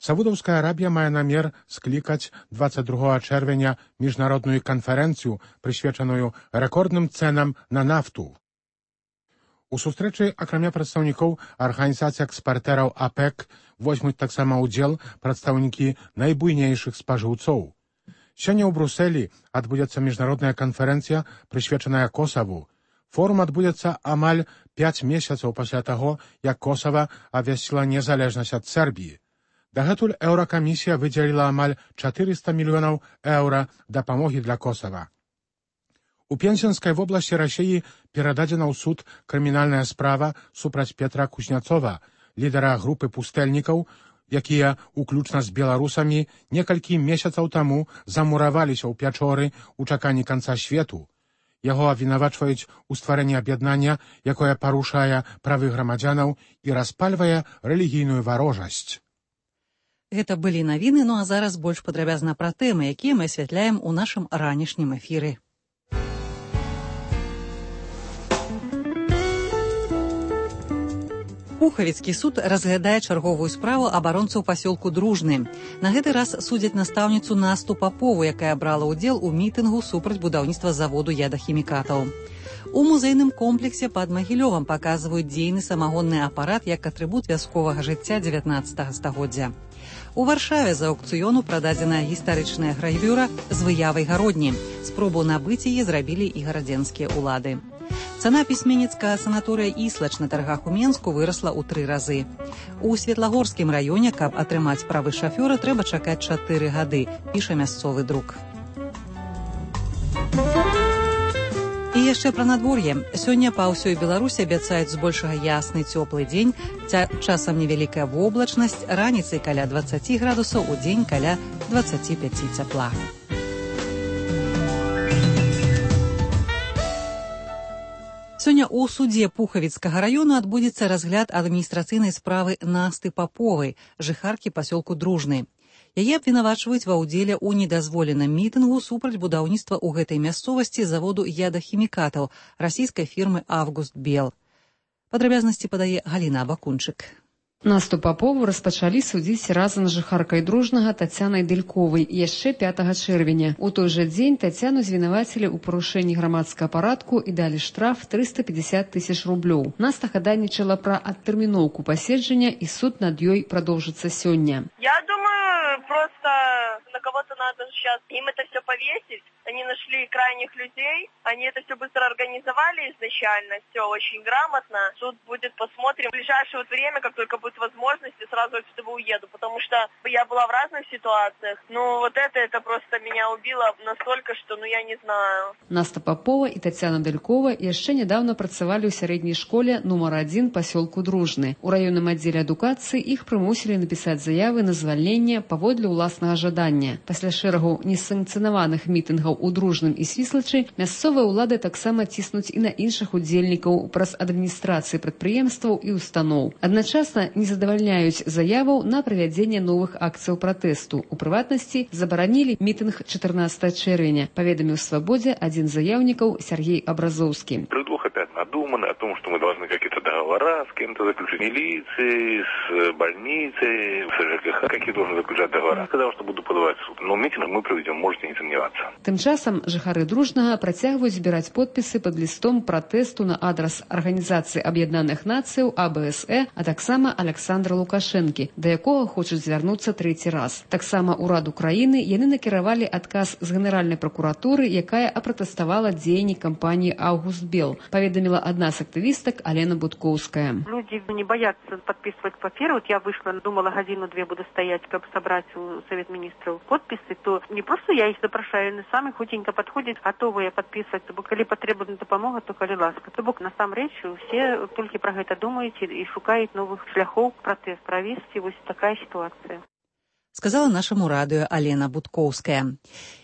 Саудаўская Арабія мае намер склікаць дваццаць другога чэрвеня міжнародную канферэнцыю, прысвечаную рэкордным цэнам на нафту. У сустрэчы, акрамя прадстаўнікоў арганізацыі экспартэраў АПЭК, возьмуць таксама ўдзел прадстаўнікі найбуйнейшых спажыўцоў. Сёння ў Брусэлі адбудзецца міжнародная канферэнцыя, прысвечаная Косаву. Форум адбудзецца амаль пяць месяцаў пасля таго, як Косава абвясціла незалежнасць ад Сербіі. Дагэтуль Еўракамісія выдзеліла амаль чатырыста мільёнаў еўра дапамогі для Косава. У Пензенскай вобласці Расіі перададзена ў суд крымінальная справа супраць Петра Кузняцова, лідара групы пустэльнікаў, якія, уключна з беларусамі, некалькі месяцаў таму замураваліся ў пячоры ў чаканні канца свету. Яго абвінавачваюць у стварэнні аб'яднання, якое парушае правы грамадзянаў і распальвае рэлігійную варожасць. Гэта былі навіны, ну а зараз больш падрабязна пра тэмы, якія мы асвятляем у нашым ранішнім эфіры. Пухавіцкі суд разглядае чарговую справу абаронцаў пасёлку Дружны. На гэты раз судзяць настаўніцу Насту Папову, якая брала ўдзел у мітынгу супраць будаўніцтва заводу ядахімікатаў. У музейным комплексе пад Магілёвам паказваюць дзейны самагонны апарат як атрыбут вясковага жыцця дзевятнаццатага стагоддзя. У Варшаве за аўкцыёну прададзеная гістарычная гравюра з выявай гародні. Спробу набыць яе зрабілі і гарадзенскія ўлады. Цана пісьменніцкага санаторыя «Іслач» на таргах у Менску вырасла ў тры разы. У Светлагорскім раёне, каб атрымаць правы шафёра, трэба чакаць чатыры гады, піша мясцовы друк. І яшчэ пра надвор'е. Сёння па ўсёй Беларусі абяцаюць збольшага ясны цёплы дзень, часам невялікая воблачнасць, раніцай каля дваццаці градусаў, у дзень каля дваццаці пяці цяпла. Сёння ў судзе Пухавіцкага раёну адбудзецца разгляд адміністрацыйнай справы Насты Паповай, жыхаркі пасёлку Дружны. Яе абвінавачваюць ва ўдзеле ў недазволеным мітынгу супраць будаўніцтва ў гэтай мясцовасці заводу ядахімікатаў расійскай фірмы «Август Бел». Падрабязнасці падае Галіна Абакунчык. Наступ Папову распачалі судзіць разам з жыхаркай Дружнага Тацянай Дэльковай яшчэ пятага чэрвеня. У той жа дзень Тацяну звінавацілі ў парушэнні грамадскага парадку і далі штраф трыста пятьдесят тысяч рублёў. Наста хадайнічала пра адтэрміноўку паседжання і суд над ёй продолжится сёння. Я думаю, просто на кого-то надо сейчас им это все повесить. Они нашли крайних людей, они это все быстро организовали изначально, все очень грамотно. Суд будет, посмотрим. В ближайшее вот время, как только будет возможность, я сразу отсюда уеду, потому что я была в разных ситуациях. Но вот это, это просто меня убило настолько, что, ну, я не знаю. Наста Попова и Татьяна Дэлькова яшчэ недавно працавалі ў сярэдняй школе нумар адзін пасёлку Дружны. У раённым аддзеле адукацыі іх прымусілі напісаць заявы на звальненне паводле ўласнага жадання. Пасля шэрагу несанкцыянаваных мітынгаў у Дружным і Свіслачы мясцовыя ўлады таксама ціснуць і на іншых удзельнікаў праз адміністрацыі прадпрыемстваў і устаноў. Адначасна не задавальняюць заяваў на правядзенне новых акцыяў пратэсту. У прыватнасці забаранілі мітынг чатырнаццатага чэрвеня, паведаміў «Свабодзе» адзін з заяўнікаў Сергей Абразоўскі. Предлог опять надуманный о том, что мы должны какие-то договора с кем-то заключить, милицией, с больницей, с ЖКХ, какие должны заключать договора. Сказал, что буду подавать в суд. Но митинг мы проведем, можете не сомневаться. Тым часам жыхары Дружнага працягваюць збіраць подпісы пад лістом пратэсту на адрас Арганізацыі Аб'яднаных Нацыяў А Б С Э, а таксама Александра Лукашэнкі, да якога хочуць звярнуцца трэці раз. Таксама ўраду краіны яны накіравалі адказ з генеральнай пракуратуры, якая апратэставала дзеянні кампаніі «Август Бел», паведаміла адна з актывістак Алена Будкоўская. Люди не боятся подписывать паперы. Вот я вышла, думала, годину-две буду стоять, как собрать у Совет Министров подписи, то не просто я их запрашаю, они сами хутенько подходят, готовы подписывать, то коли потребна допомога, то коли ласка. То бок, насамрэч, все толькі про гэта думаюць і шукаюць новых шляхоў пратэст правесці. Вось такая ситуация. Сказала нашаму радыё Алена Будкоўская.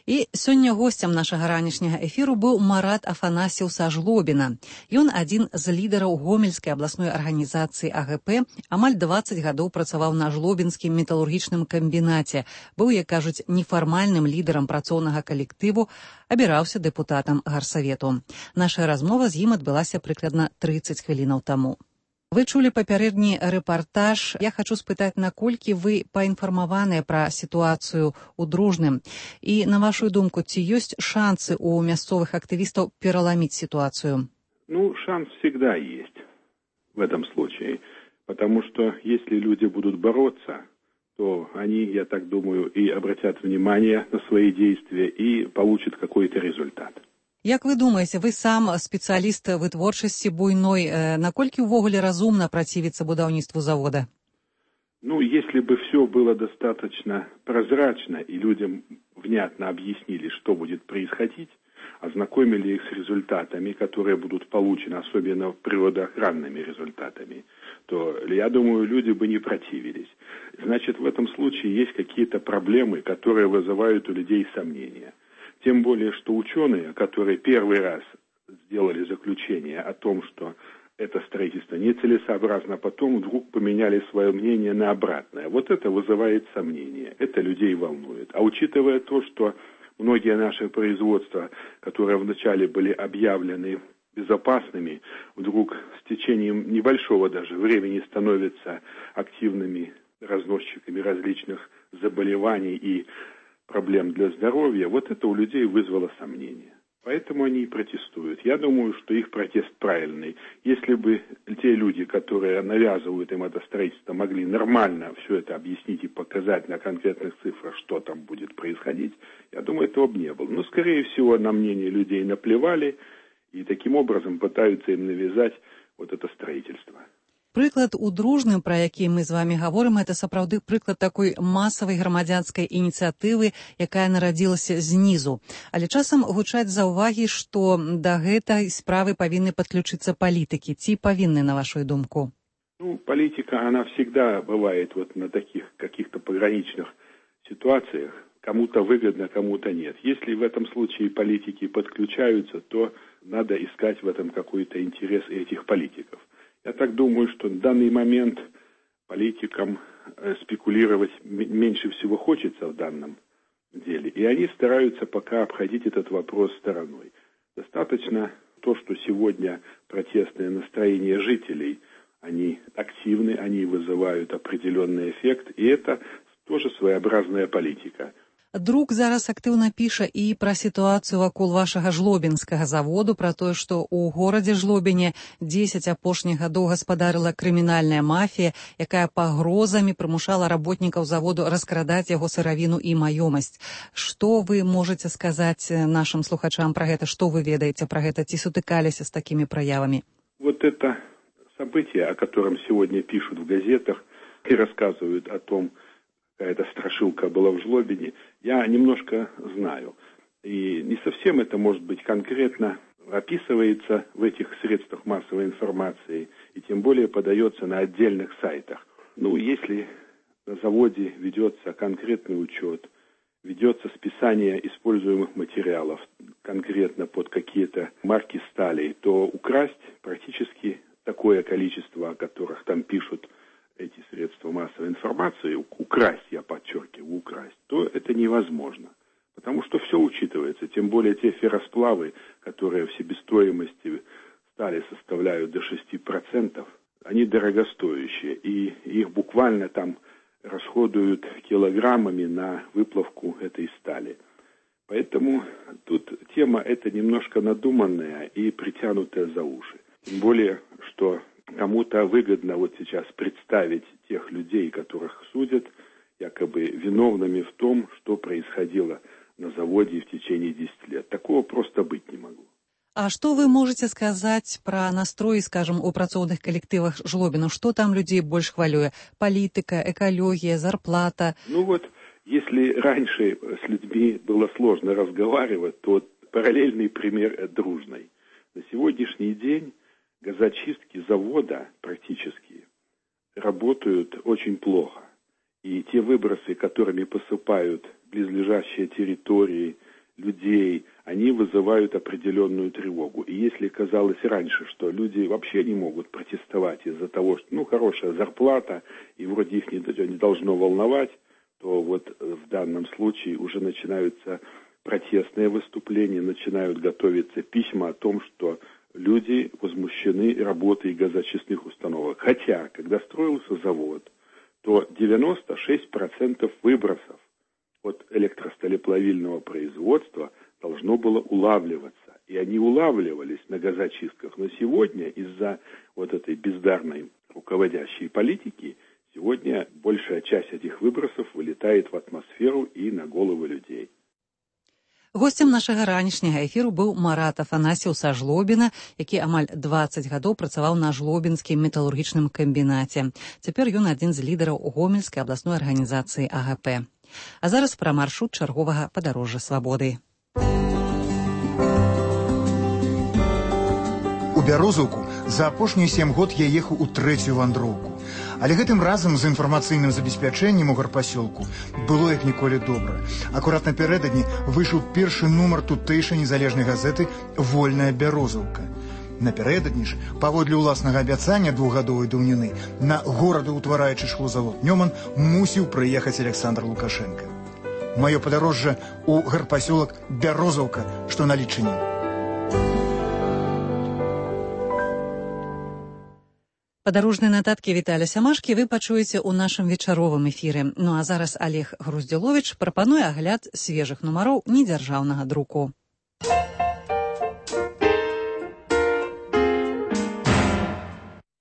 І сёння госцем нашага ранішняга эфіру быў Марат Афанасьеў са Жлобіна. Ён адзін з лідараў гомельскай абласной арганізацыі А Г П, амаль дваццаць гадоў працаваў на жлобінскім металургічным камбінаце, быў, як кажуць, нефармальным лідарам працоўнага калектыву, абіраўся дэпутатам гарсавету. Наша размова з ім адбылася прыкладна трыццаць хвілінаў таму. Вы чулі папярэдні рэпартаж. Я хачу спытаць, наколькі вы паінфармаваныя пра сітуацыю ў Дружным. І, на вашу думку, ці ёсць шансы у мясцовых актывістаў пераламіць ситуацию? Ну, шанс всегда есть в этом случае. Потому что если люди будут бороться, то они, я так думаю, и обратят внимание на свои действия и получат какой-то результат. Як вы думаеце, вы сам спецыяліст вытворчасці буйной, наколькі ўвогуле разумна працівіцца будаўніцтву завода? Ну, если бы все было достаточно прозрачно и людям внятно объяснили, что будет происходить, ознакомили их с результатами, которые будут получены, особенно природоохранными результатами, то, я думаю, люди бы не противились. Значит, в этом случае есть какие-то проблемы, которые вызывают у людей сомнения. Тем более, что ученые, которые первый раз сделали заключение о том, что это строительство нецелесообразно, а потом вдруг поменяли свое мнение на обратное. Вот это вызывает сомнения, это людей волнует. А учитывая то, что многие наши производства, которые вначале были объявлены безопасными, вдруг с течением небольшого даже времени становятся активными разносчиками различных заболеваний и проблем для здоровья, вот это у людей вызвало сомнения. Поэтому они и протестуют. Я думаю, что их протест правильный. Если бы те люди, которые навязывают им это строительство, могли нормально все это объяснить и показать на конкретных цифрах, что там будет происходить, я думаю, этого бы не было. Но, скорее всего, на мнение людей наплевали и таким образом пытаются им навязать вот это строительство. Прыклад у Дружным, пра які мы з вами гаворым, это сапраўды прыклад такой масавай грамадзянскай ініцыятывы, якая нарадзілася знізу. Але часам гучаць заўвагі, што да гэтай справы павінны падключыцца палітыкі. Ці павінны, на вашу думку? Ну, политика, она всегда бывает вот на таких каких-то пограничных ситуациях. Кому-то выгодно, кому-то нет. Если в этом случае политики подключаются, то надо искать в этом какой-то интерес этих политиков. Я так думаю, что в данный момент политикам спекулировать меньше всего хочется в данном деле. И они стараются пока обходить этот вопрос стороной. Достаточно то, что сегодня протестные настроения жителей, они активны, они вызывают определенный эффект, и это тоже своеобразная политика. Друк зараз актыўна піша і пра сітуацыю вакол вашага жлобінскага заводу, пра тое, што ў горадзе Жлобіне дзесяць апошніх гадоў гаспадарыла крымінальная мафія, якая пагрозамі прымушала работнікаў заводу раскрадаць яго сыравіну і маёмасць. Што вы можаце сказаць нашым слухачам пра гэта? Што вы ведаеце пра гэта? Ці сутыкаліся з такімі праявамі? Вот это событие, о котором сегодня пишут в газетах и рассказывают о том, какая-то страшилка была в Жлобине, я немножко знаю. И не совсем это, может быть, конкретно описывается в этих средствах массовой информации, и тем более подается на отдельных сайтах. Ну, если на заводе ведется конкретный учет, ведется списание используемых материалов конкретно под какие-то марки стали, то украсть практически такое количество, о которых там пишут эти средства массовой информации, украсть, я подчеркиваю, украсть, то это невозможно. Потому что все учитывается, тем более те ферросплавы, которые в себестоимости стали составляют до шести процентов, они дорогостоящие, и их буквально там расходуют килограммами на выплавку этой стали. Поэтому тут тема эта немножко надуманная и притянутая за уши. Тем более, что кому-то выгодно вот сейчас представить тех людей, которых судят, якобы виновными в том, что происходило на заводе в течение десяти лет. Такого просто быть не могло. А што вы можаце сказаць пра настрой, скажем, у працоўных калектывах Жлобіна? Што там людзей больш хвалюе? Палітыка, экалогія, зарплата? Ну вот, если раньше с людьми было сложно разговаривать, то параллельный пример Дружной. На сегодняшний день газочистки завода практически работают очень плохо. И те выбросы, которыми посыпают близлежащие территории, людей, они вызывают определенную тревогу. И если казалось раньше, что люди вообще не могут протестовать из-за того, что, ну, хорошая зарплата, и вроде их не, не должно волновать, то вот в данном случае уже начинаются протестные выступления, начинают готовиться письма о том, что люди возмущены работой газочистных установок. Хотя, когда строился завод, то девяносто шесть процентов выбросов от электросталеплавильного производства должно было улавливаться. И они улавливались на газочистках. Но сегодня из-за вот этой бездарной руководящей политики сегодня большая часть этих выбросов вылетает в атмосферу и на головы людей. Гостем нашага ранішняга эфіру быў Марат Афанасьеў са Жлобіна, які амаль дваццаць гадоў працаваў на жлобінскім металургічным камбінаце. Цяпер ён адзін з лідараў гомельскай абласной арганізацыі А Г П. А зараз пра маршрут чарговага падарожжа свабоды. У Бярозаўку за апошнія сем год я ехаў у трэцюю вандроўку. Але гэтым разам з інфармацыйным забеспячэннем у гарпасёлку было як ніколі добра. Акурат напярэдадні выйшаў першы нумар тутэйшай незалежнай газеты «Вольная Бярозаўка». Напярэдадні ж, паводле ўласнага абяцання двухгадовай даўніны, на горадаўтвараючы шклозавод «Нёман» мусіў прыехаць Александр Лукашенко. Маё падарожжа ў гарпасёлак Бярозаўка, што на Лічыне. Падарожныя нататкі Віталя Сямашкі вы пачуеце ў нашым вечаровым эфіры. Ну а зараз Олег Груздзіловіч прапануе агляд свежых нумароў недзяржаўнага друку.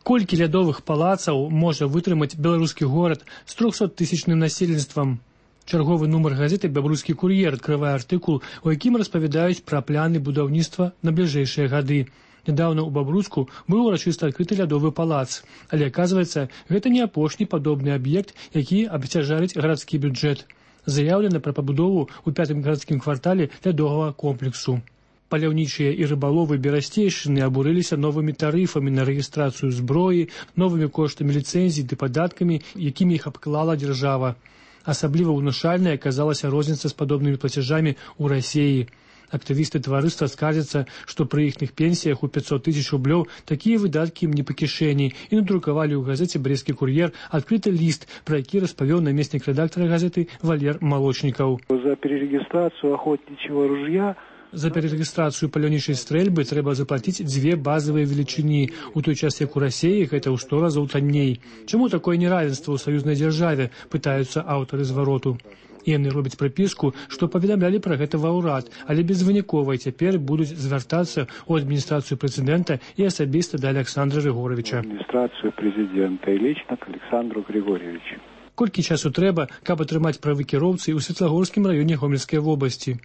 Колькі лядовых палацаў можа вытрымаць беларускі горад з трохсоттысячным насельніцтвам? Чарговы нумар газеты «Бябрускі кур'ер» адкрывае артыкул, у якім распавядаюць пра планы будаўніцтва на бліжэйшыя гады. Недавно у Бабруску быў урачыста адкрыты лядовы палац, але, аказваецца, гэта не апошні падобны аб'ект, які абцяжарыць гарадскі бюджэт. Заяўлена пра пабудову ў пятым гарадскім квартале лядовага комплексу. Паляўнічыя і рыбаловы берасцейшчыны абурыліся новымі тарыфамі на рэгістрацыю зброі, новымі коштамі ліцэнзій ды падаткамі, якімі іх абклала дзяржава. Асабліва ўнушальнай аказалася розніца з падобнымі плацяжамі ў Расіі. Актывісты таварыства скардзяцца, што пры іхных пенсіях у пятьсот тысяч рублёў такія выдаткі ім не па кішэні і надрукавалі ў газеце «Брестскі кур'ер» адкрыты ліст, пра які распавёў намеснік рэдактара газеты Валер Малочнікаў. За перерегистрацию охотничьего ружья За перерегистрацию паляўнічай стрэльбы трэба заплаціць дзве базавыя велічыні, у той час як у Расіі гэта ў сто разоў танней. Чаму такое неравенство ў саюзнай дзяржаве, пытаюцца аўтары звароту. Яны робяць прыпіску, што паведамлялі пра гэта ва ўрад, але безвынікова цяпер будуць звяртацца ў адміністрацыю прэзідэнта і асабіста да Александра Григорьевича. Адміністрацыю прэзідэнта і лічна к Александру Григорьевичу. Колькі часу трэба, каб атрымаць правы кіроўцы ў Светлагорскім раёне Гомельскай вобласці?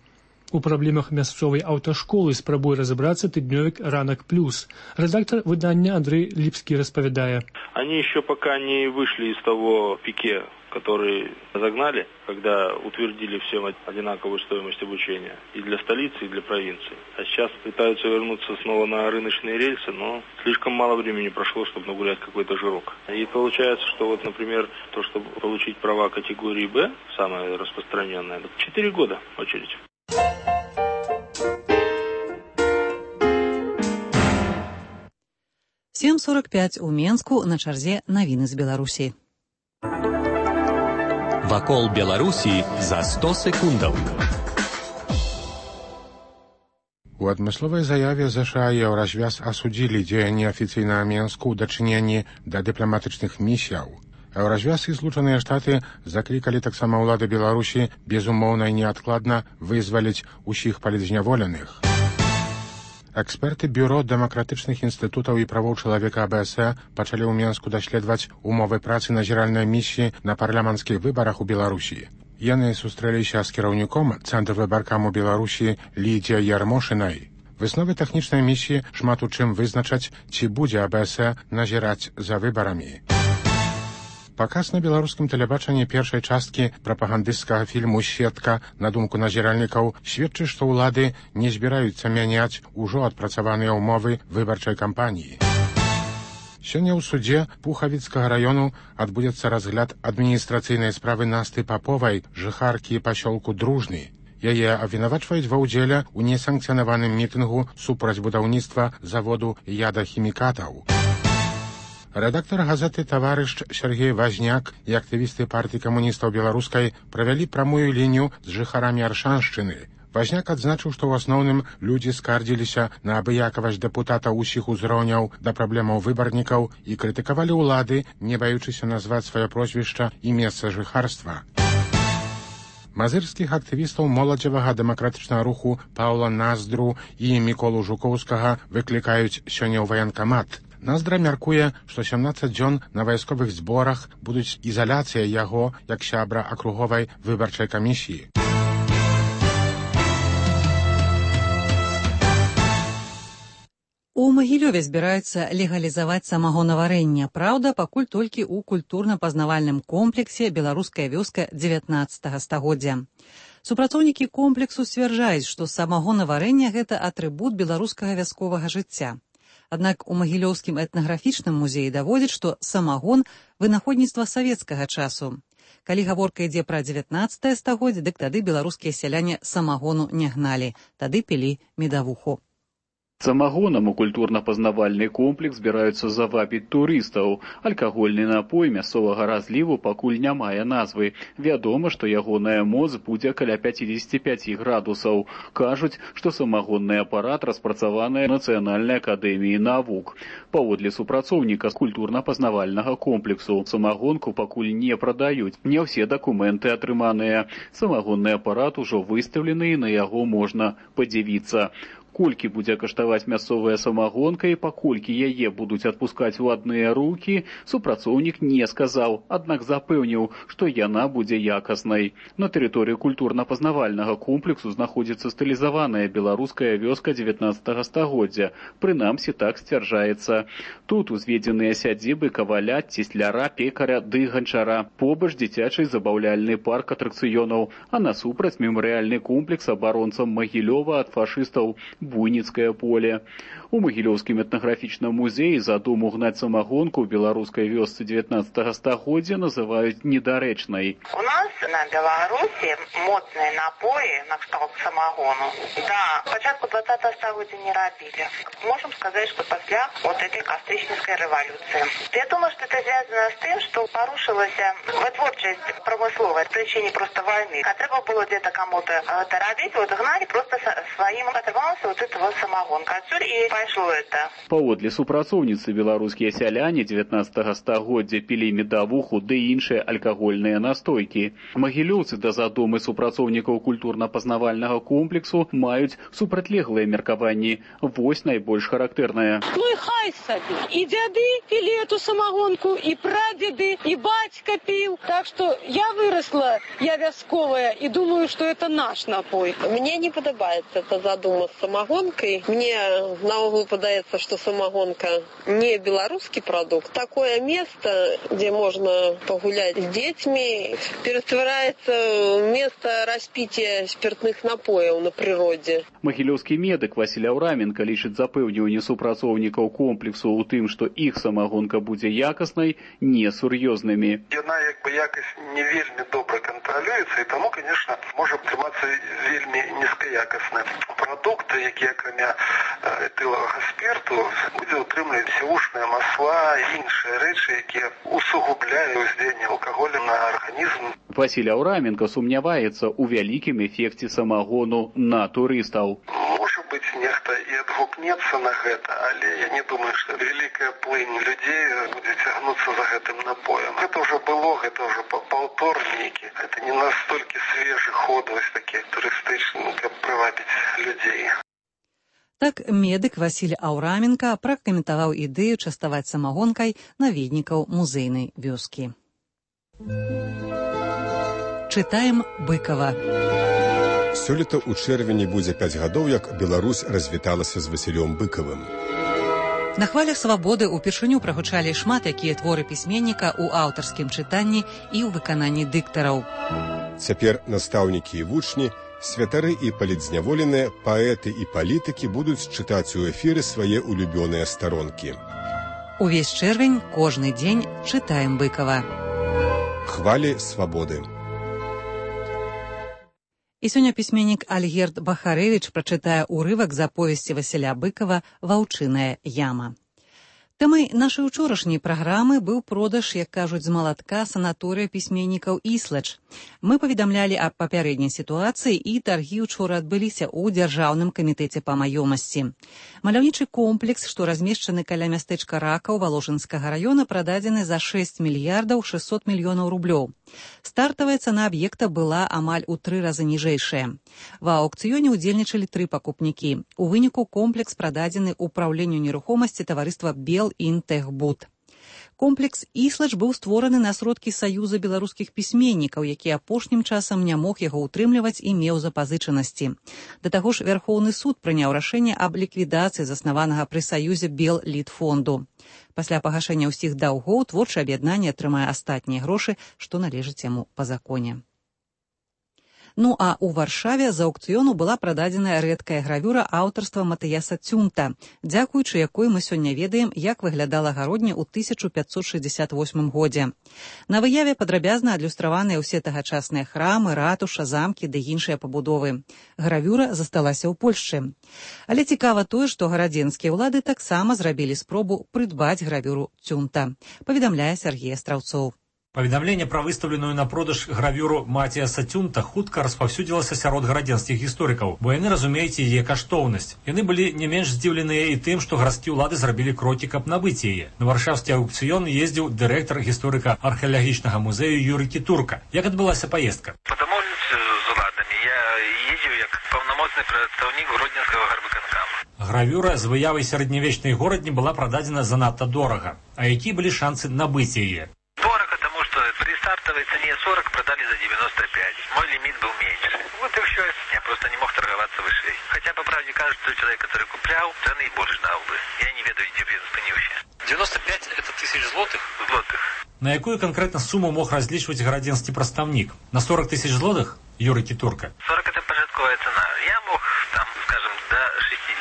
У праблемах мясцовай аўташколы спрабуе разабрацца тыднёвік «Ранак плюс». Редактор выдання Андрей Липский распавядае. Они еще пока не вышли из того пике, который загнали, когда утвердили всем одинаковую стоимость обучения и для столицы, и для провинции. А сейчас пытаются вернуться снова на рыночные рельсы, но слишком мало времени прошло, чтобы нагулять какой-то жирок. И получается, что вот, например, то, чтобы получить права категории «Б», самое распространенное, четыре года очередь. сем сорок пять у Менску, на чарзе навіны з Беларусі. Вакол Беларусі за сто секундаў. У адмысловай заяве ЗША і Еўразвяз асудзілі дзеянні афіцыйнага Менску ў дачыненні да дыпламатычных місіяў. Еўразвяз і Злучаныя Штаты заклікалі таксама ўлады Беларусі безумоўна і неадкладна вызваліць усіх палітзняволеных. Эксперты Бюро дэмакратычных інстытутаў і правоў чалавека АБС пачалі ў Менску даследаваць умовы працы назіральнай місіі на парламенцкіх выбарах у Беларусі. Яны сустрэліся з кіраўніком Цэнтра выбаркам у Беларусі Лідзіяй Ярмошынай. Высновы тэхнічнай місіі шмат у чым вызначаць, ці будзе АБС назіраць за выбарамі. Паказ на беларускім тэлебачанні першай часткі прапагандысцкага фільму «Сетка», на думку назіральнікаў, сведчыць, што ўлады не збіраюцца мяняць ужо адпрацаваныя ўмовы выбарчай кампаніі. Сёння ў судзе Пухавіцкага раёну адбудзецца разгляд адміністрацыйнай справы Насты Паповай, жыхаркі пасёлку Дружны. Яе абвінавачваюць ва ўдзеле ў несанкцыянаваным мітынгу супраць будаўніцтва заводу ядахімікатаў. Рэдактар газеты «Таварыш» Сергей Вазняк і актывісты партыі камуністаў беларускай правялі прамую лінію з жыхарамі Аршаншчыны. Вазняк адзначыў, што ў асноўным людзі скардзіліся на абыякавасць дэпутатаў усіх узроўняў да праблемаў выбарнікаў і крытыкавалі ўлады, не баючыся назваць сваё прозвішча і месца жыхарства. Мазырскіх актывістаў моладзевага дэмакратычнага руху Паўла Наздру і Міколу Жукоўскага выклікаюць сёння ў ваенкамат. Наздра мяркуе, што сямнаццаць дзён на вайсковых зборах будуць ізаляцыя яго як сябра акруговай выбарчай камісіі. У Магілёве збіраюцца легалізаваць самагонаварэнне. Праўда, пакуль толькі ў культурна-пазнавальным комплексе «Беларуская вёска» дзевятнаццатага стагоддзя. Супрацоўнікі комплексу сцвярджаюць, што самагонаварэнне – гэта атрыбут беларускага вясковага жыцця. Аднак у Магілёўскім этнаграфічным музеі даводзяць, што самагон – вынаходніцтва савецкага часу. Калі гаворка ідзе пра дзевятнаццатае стагоддзе, дык тады беларускія сяляне самагону не гналі, тады пілі медавуху. Самагонам у культурна-пазнавальны комплекс збіраюцца завабіць турыстаў. Алкагольны напой мясцовага разліву пакуль не мае назвы. Вядома, што ягоная моц будзе каля пяцьдзесят пять градусаў. Кажуць, што самагонны апарат распрацаваны Нацыянальнай акадэміі навук. Паводле супрацоўніка з культурна-пазнавальнага комплексу, самагонку пакуль не прадаюць. Не ўсе дакументы атрыманыя. Самагонны апарат ужо выстаўлены, і на яго можна падзівіцца. Колькі будзе каштаваць мясцовая самагонка і паколькі яе будуць адпускаць у адныя рукі, супрацоўнік не сказаў, аднак запэўніў, што яна будзе якаснай. На тэрыторыі культурна-пазнавальнага комплексу знаходзіцца стылізаваная беларуская вёска дзевятнаццатага стагоддзя. Прынамсі так сцвярджаецца. Тут узведзеныя сядзібы каваля, цесляра, пекаря ды ганчара. Побач дзіцячы забаўляльны парк атракцыёнаў, а насупраць мемарыяльны комплекс абаронцам Магілёва ад фашыстаў. Буйніцкае поле. У Магілёўскім этнаграфічным музеі задуму гнаць самагонку ў беларускай вёсцы дзевятнаццатага стагоддзя называюць недарэчнай. У нас на Беларуси модные напои на кшталт самогону, да, початку двадцатого стагоддзя не робили. Можем сказать, что после вот этой кастрычніцкай революции. Я думаю, что это связано с тем, что порушилась вытворчесть промысловая в причине просто войны. А треба было где-то кому-то это робить, вот гнали просто своим оторвался вот этого самогонка. Отсюда и пошло это. Паводле супрацоўніцы беларускія сяляне дзевятнаццатага стагоддзя пілі медавуху ды іншыя алкагольныя настойкі. Магілёўцы да задумы супрацоўнікаў культурна-пазнавальнага комплексу маюць супрацьлеглыя меркаванні. Вось найбольш характэрнае. Ну і хай сабе. І дзяды пілі эту самогонку, і прадзеды, і бацька піў. Так што я выросла, я вясковая, і думаю, што это наш напой. Мне не падабаецца эта задума з самогонкой. Мне наогул падаецца, што самогонка не беларускі прадукт. Такое место, где можно погулять с детьми, перетворяется в место распития спиртных напоев на природе. Магілёўскі медык Васіль Аўраменка лічыць запэўніванне супрацоўнікаў комплексу ў тым, што іх самагонка будзе якаснай, несур'ёзнымі. Яна як бы якасць не вельмі добра кантралюецца, і таму, конечно, можа атрымацца вельмі нізкаякасны прадукт, які акрамя этылавага спирту будзе ўтрымліваць сівушныя масла і іншыя рэчы, якія усугубляюць уздзеянне алкаголя на арганізм. Васіль Аўраменка сумняваецца ў вялікім эфекце самагону на турыстаў. Можа быць, нехта і адгукнецца на гэта, але я не думаю, што вялікая плынь людзей будзе цягнуцца за гэтым напоем. Гэта ўжо было, гэта ўжо паўтор нейкі. Гэта не настолькі свежы ход, вось такі турыстычны, каб прывабіць людзей. Так медык Васіль Аўраменка пракаментаваў ідэю частаваць самагонкай наведнікаў музейнай вёскі. Чытаем Быкова. Сёлета ў чэрвені будзе пяць гадоў, як Беларусь развіталася з Васілём Быкавым. На хвалях свабоды ўпершыню прагучалі шмат якія творы пісьменніка ў аўтарскім чытанні і ў выкананні дыктараў. Цяпер настаўнікі і вучні, святары і палітзняволеныя, паэты і палітыкі будуць чытаць у эфіры свае улюбёныя старонкі. Увесь чэрвень, кожны дзень чытаем Быкава. Хвалі свабоды. І сёння пісьменнік Альгерд Бахарэвіч прачытае ўрывак з аповесці Васіля Быкава «Ваўчыная яма». Тэмай нашай учорашняй праграмы быў продаж, як кажуць з малатка, санаторыя пісьменнікаў «Іслач». Мы паведамлялі аб папярэдняй сітуацыі, і таргі ўчора адбыліся ў Дзяржаўным камітэце па маёмасці. Маляўнічы комплекс, што размешчаны каля мястэчка Ракаў Валожынскага раёна, прададзены за шэсць мільярдаў шэсцьсот мільёнаў рублёў. Стартавая цана аб'екта была амаль у тры разы ніжэйшая. Ва аўкцыёне ўдзельнічалі тры пакупнікі. У выніку комплекс прададзены ўпраўленню нерухомасці таварыства «Белінтэгбуд». Комплекс «Іслач» быў створаны на сродкі Саюза беларускіх пісьменнікаў, які апошнім часам не мог яго ўтрымліваць і меў запазычанасці. Да таго ж Вярхоўны суд прыняў рашэнне аб ліквідацыі заснаванага пры Саюзе Беллітфонду. Пасля пагашэння ўсіх даўгоў творчае аб'яднанне атрымае астатнія грошы, што належыць яму па законе. Ну а ў Варшаве з аўкцыёну была прададзеная рэдкая гравюра аўтарства Матыяса Цюнта, дзякуючы якой мы сёння ведаем, як выглядала гародня ў тысяча пятьсот шестьдесят восьмым годзе. На выяве падрабязна адлюстраваныя ўсе тагачасныя храмы, ратуша, замкі ды іншыя пабудовы. Гравюра засталася ў Польшчы. Але цікава тое, што гарадзенскія ўлады таксама зрабілі спробу прыдбаць гравюру Цюнта, паведамляе Сергей Астраўцоў. Паведамленне пра выстаўленую на продаж гравюру Матіаса Цюнта хутка распаўсюдзілася сярод гарадзенскіх гісторыкаў, бо яны разумеюць яе каштоўнасць. Яны былі не менш здзіўленыя і тым, што гарадскія ўлады зрабілі крокі, каб набыць яе. На варшаўскі аўкцыён ездзіў дырэктар гісторыка археалагічнага музею Юрый Кітурка. Як адбылася паездка? Па дамоўніцтве з уладамі я ездзіў як паўнамоцны прадстаўнік гродзенскага гарвыканкама. Гравюра з выявай сярэднявечнай горадні была прададзена занадта дорага. А якія былі шансы набыць яе? При стартовой цене сорок продали за девяносто пять. Мой лимит был меньше. Вот и все. Я просто не мог торговаться выше. Хотя, по правде, кажется, человек, который куплял, цены и больше дал бы. Я не ведаю, где спынился. девяносто пять это тысяч злотых? Злотых. На якую конкретно сумму мог различивать гарадзенский представник? На сорок тысяч злотых, Юрий Китурка? сорок это пожитковая цена. Я мог, там, скажем, до шестидесяти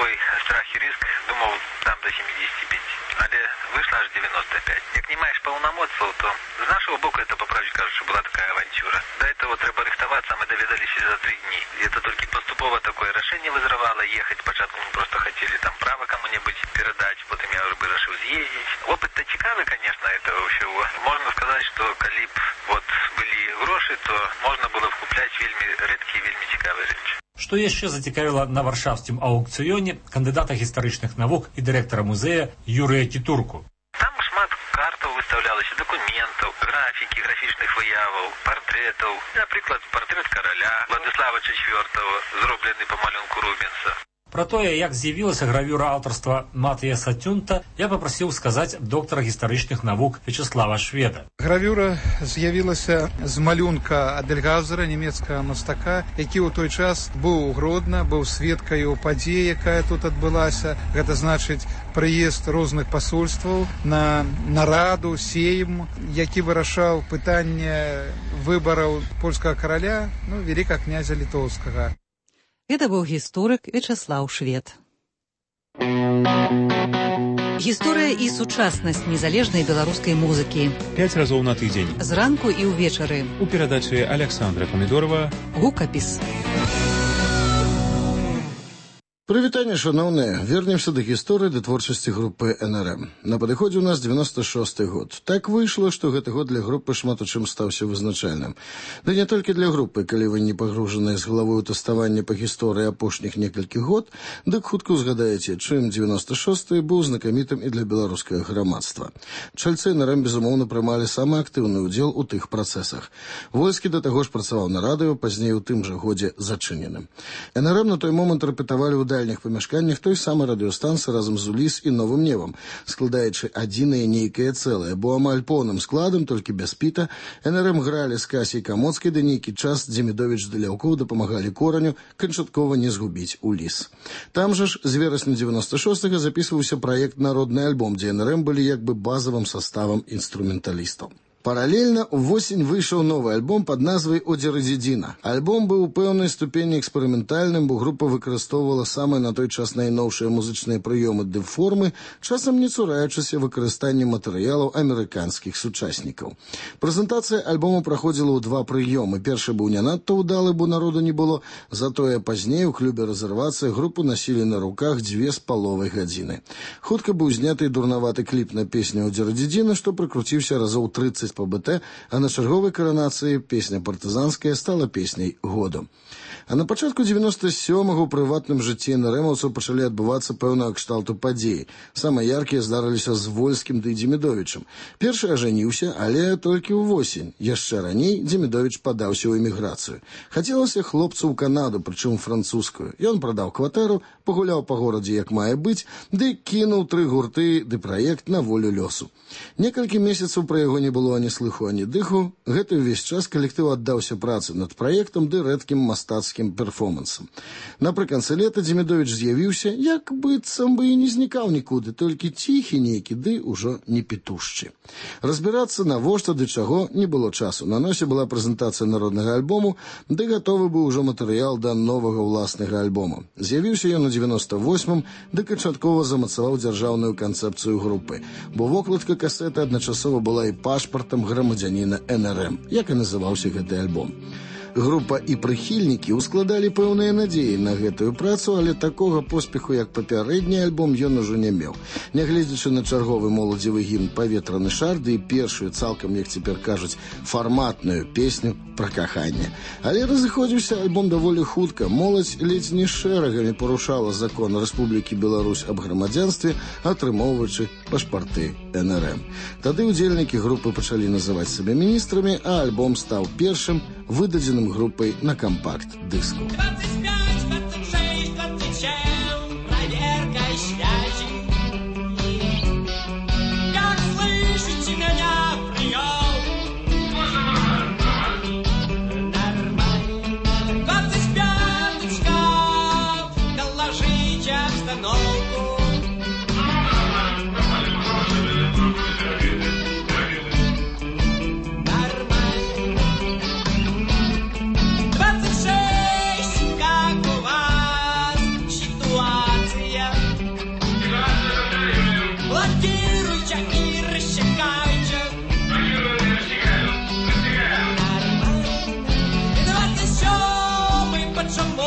свой страх и риск, думал, там до семидесяти пяти. Але вышло аж девяносто пять. Як не маешь полномочий, то с нашего боку это, по правде кажется, была такая авантюра. До этого треба рихтоваться, мы доведались за три дни. И это только поступово такое решение вызрывало ехать. Спочатку мы просто хотели там право кому-нибудь передать, потом я уже решил съездить. Опыт-то цікавый, конечно, этого всего. Можно сказать, что коли б вот были гроши, то можно было вкуплять вельми редкие, вельми цікавые речи. Што яшчэ зацікавіла на варшаўскім аўкцыёне кандыдата гістарычных навук і дырэктара музея Юрыя Кітурку. Там шмат картаў выстаўлялася, дакументаў, графікі, графічных выяваў, партрэтаў. Напрыклад, партрэт караля Владислава чацвёртага, зроблены па малюнку Рубенса. Пра тое, як з'явілася гравюра аўтарства Матыя Сатюнта, я папрасіў сказаць доктара гістарычных навук Вячеслава Шведа. Гравюра з'явілася з малюнка Адельгазера, нямецкага мастака, які ў той час быў у Гродна, быў сведкаю падзеі, якая тут адбылася. Гэта значыць прыезд розных пасольстваў на нараду, сейм, які вырашаў пытанне выбараў польскага караля, ну, вялікага князя літоўскага. Это быў гісторык Вячеслав Швед. Гісторыя і сучаснасць незалежнай беларускай музыкі. Пяць разоў на тыдзень. Зранку і ўвечары. У перадачы Александра Памідорова. Гукапіс. Прывітанне, шаноўныя. Вернемся да гісторыі ды творчасці групы эн эр эм. На падыходзе ў нас девяносто шосты год. Так выйшла, што гэты год для групы шмат у чым стаўся вызначальным. Да не толькі для групы, калі вы не пагружаныя з галавой у тэставанне па гісторыі апошніх некалькіх год, дык хутка ўзгадаеце, чым девяносто шосты быў знакамітым і для беларускага грамадства. Чальцы эн эр эм, безумоўна, прымалі самы актыўны ўдзел у тых працэсах. Вольскі да таго ж працаваў на радыё, пазней у тым жа годзе зачыненым. эн эр эм на той момант рэпетавалі ў дальніх памяшканнях той самай радыёстанцыі разам з Уліс і Новым Невам, складаючы адзінае нейкае цэлае, бо амаль поўным складам, толькі без піта, эн эр эм гралі з Касій Камоцкай, да нейкі час Дземідовіч ды Ляўкоў дапамагалі Кораню канчаткова не згубіць Уліс. Там жа ж з верасня девяносто шостага запісваўся праект «Народны альбом», дзе эн эр эм былі як бы базавым саставам інструменталістаў. Паралельна ўвосень выйшаў новы альбом пад назвай «Одзерэдзідзіна». Альбом быў у пэўнай ступені эксперыментальным, бо група выкарыстоўвала самыя на той час найноўшыя музычныя прыёмы ды формы, часам не цураючыся выкарыстання матэрыялаў амерыканскіх сучаснікаў. Прэзентацыя альбому праходзіла ў два прыёмы. Першы быў не надта ўдалы, бо народу не было, затое пазней у клубе «Рэзервацыя» групу насілі на руках дзве з паловай гадзіны. Хутка быў зняты дурнаваты кліп на песню «Одзерэдзідзіна», што прыкруціўся разоў трыццаць па бэ тэ, а на чарговай каранацыі песня партызанская стала песняй году. А на пачатку девяносто сёмага ў прыватным жыцці эн эр эмаўцаў пачалі адбывацца пэўнага кшталту падзеі. Самыя яркія здарыліся з Вольскім ды Дземідовічам. Першы ажаніўся, але толькі ўвосень. Яшчэ раней Дземідовіч падаўся ў эміграцыю. Хацелася хлопцу ў Канаду, прычым французскую. Ён прадаў кватэру, пагуляў па горадзе як мае быць, ды кінуў тры гурты ды праект на волю лёсу. Некалькі месяцаў пра яго не было ані слыху, ані дыху. Гэты ўвесь час калектыў аддаўся працы над праектам ды рэдкім мастацкім перформансам. Напрыканцы лета Дземідовіч з'явіўся, як быццам бы і не знікаў нікуды, толькі ціхі нейкі, ды ўжо не петушчы. Разбірацца навошта ды чаго не было часу. На носе была прэзентацыя народнага альбому, ды гатовы быў ужо матэрыял да новага ўласнага альбома. З'явіўся ён у девяносто восьмым, ды канчаткова замацаваў дзяржаўную канцэпцыю групы, бо вокладка касеты адначасова была і пашпартам грамадзяніна эн эр эм, як і называўся гэты альбом. Група і прыхільнікі ускладалі пэўныя надзеі на гэтую працу, але такога поспеху, як папярэдні альбом, ён ужо не меў. Нягледзячы на чарговы моладзевы гімн «Паветраны шар» ды і першую, цалкам, як цяпер кажуць, фарматную песню пра каханне. Але разыходзіўся альбом даволі хутка. Моладзь ледзь не шэрагамі парушала закон Рэспублікі Беларусь аб грамадзянстве, атрымоўваючы пашпарты эн эр эм. Тады ўдзельнікі групы пачалі называць сабе міністрамі, а альбом стаў першым выдадзеным группой на компакт-диску. Как чаму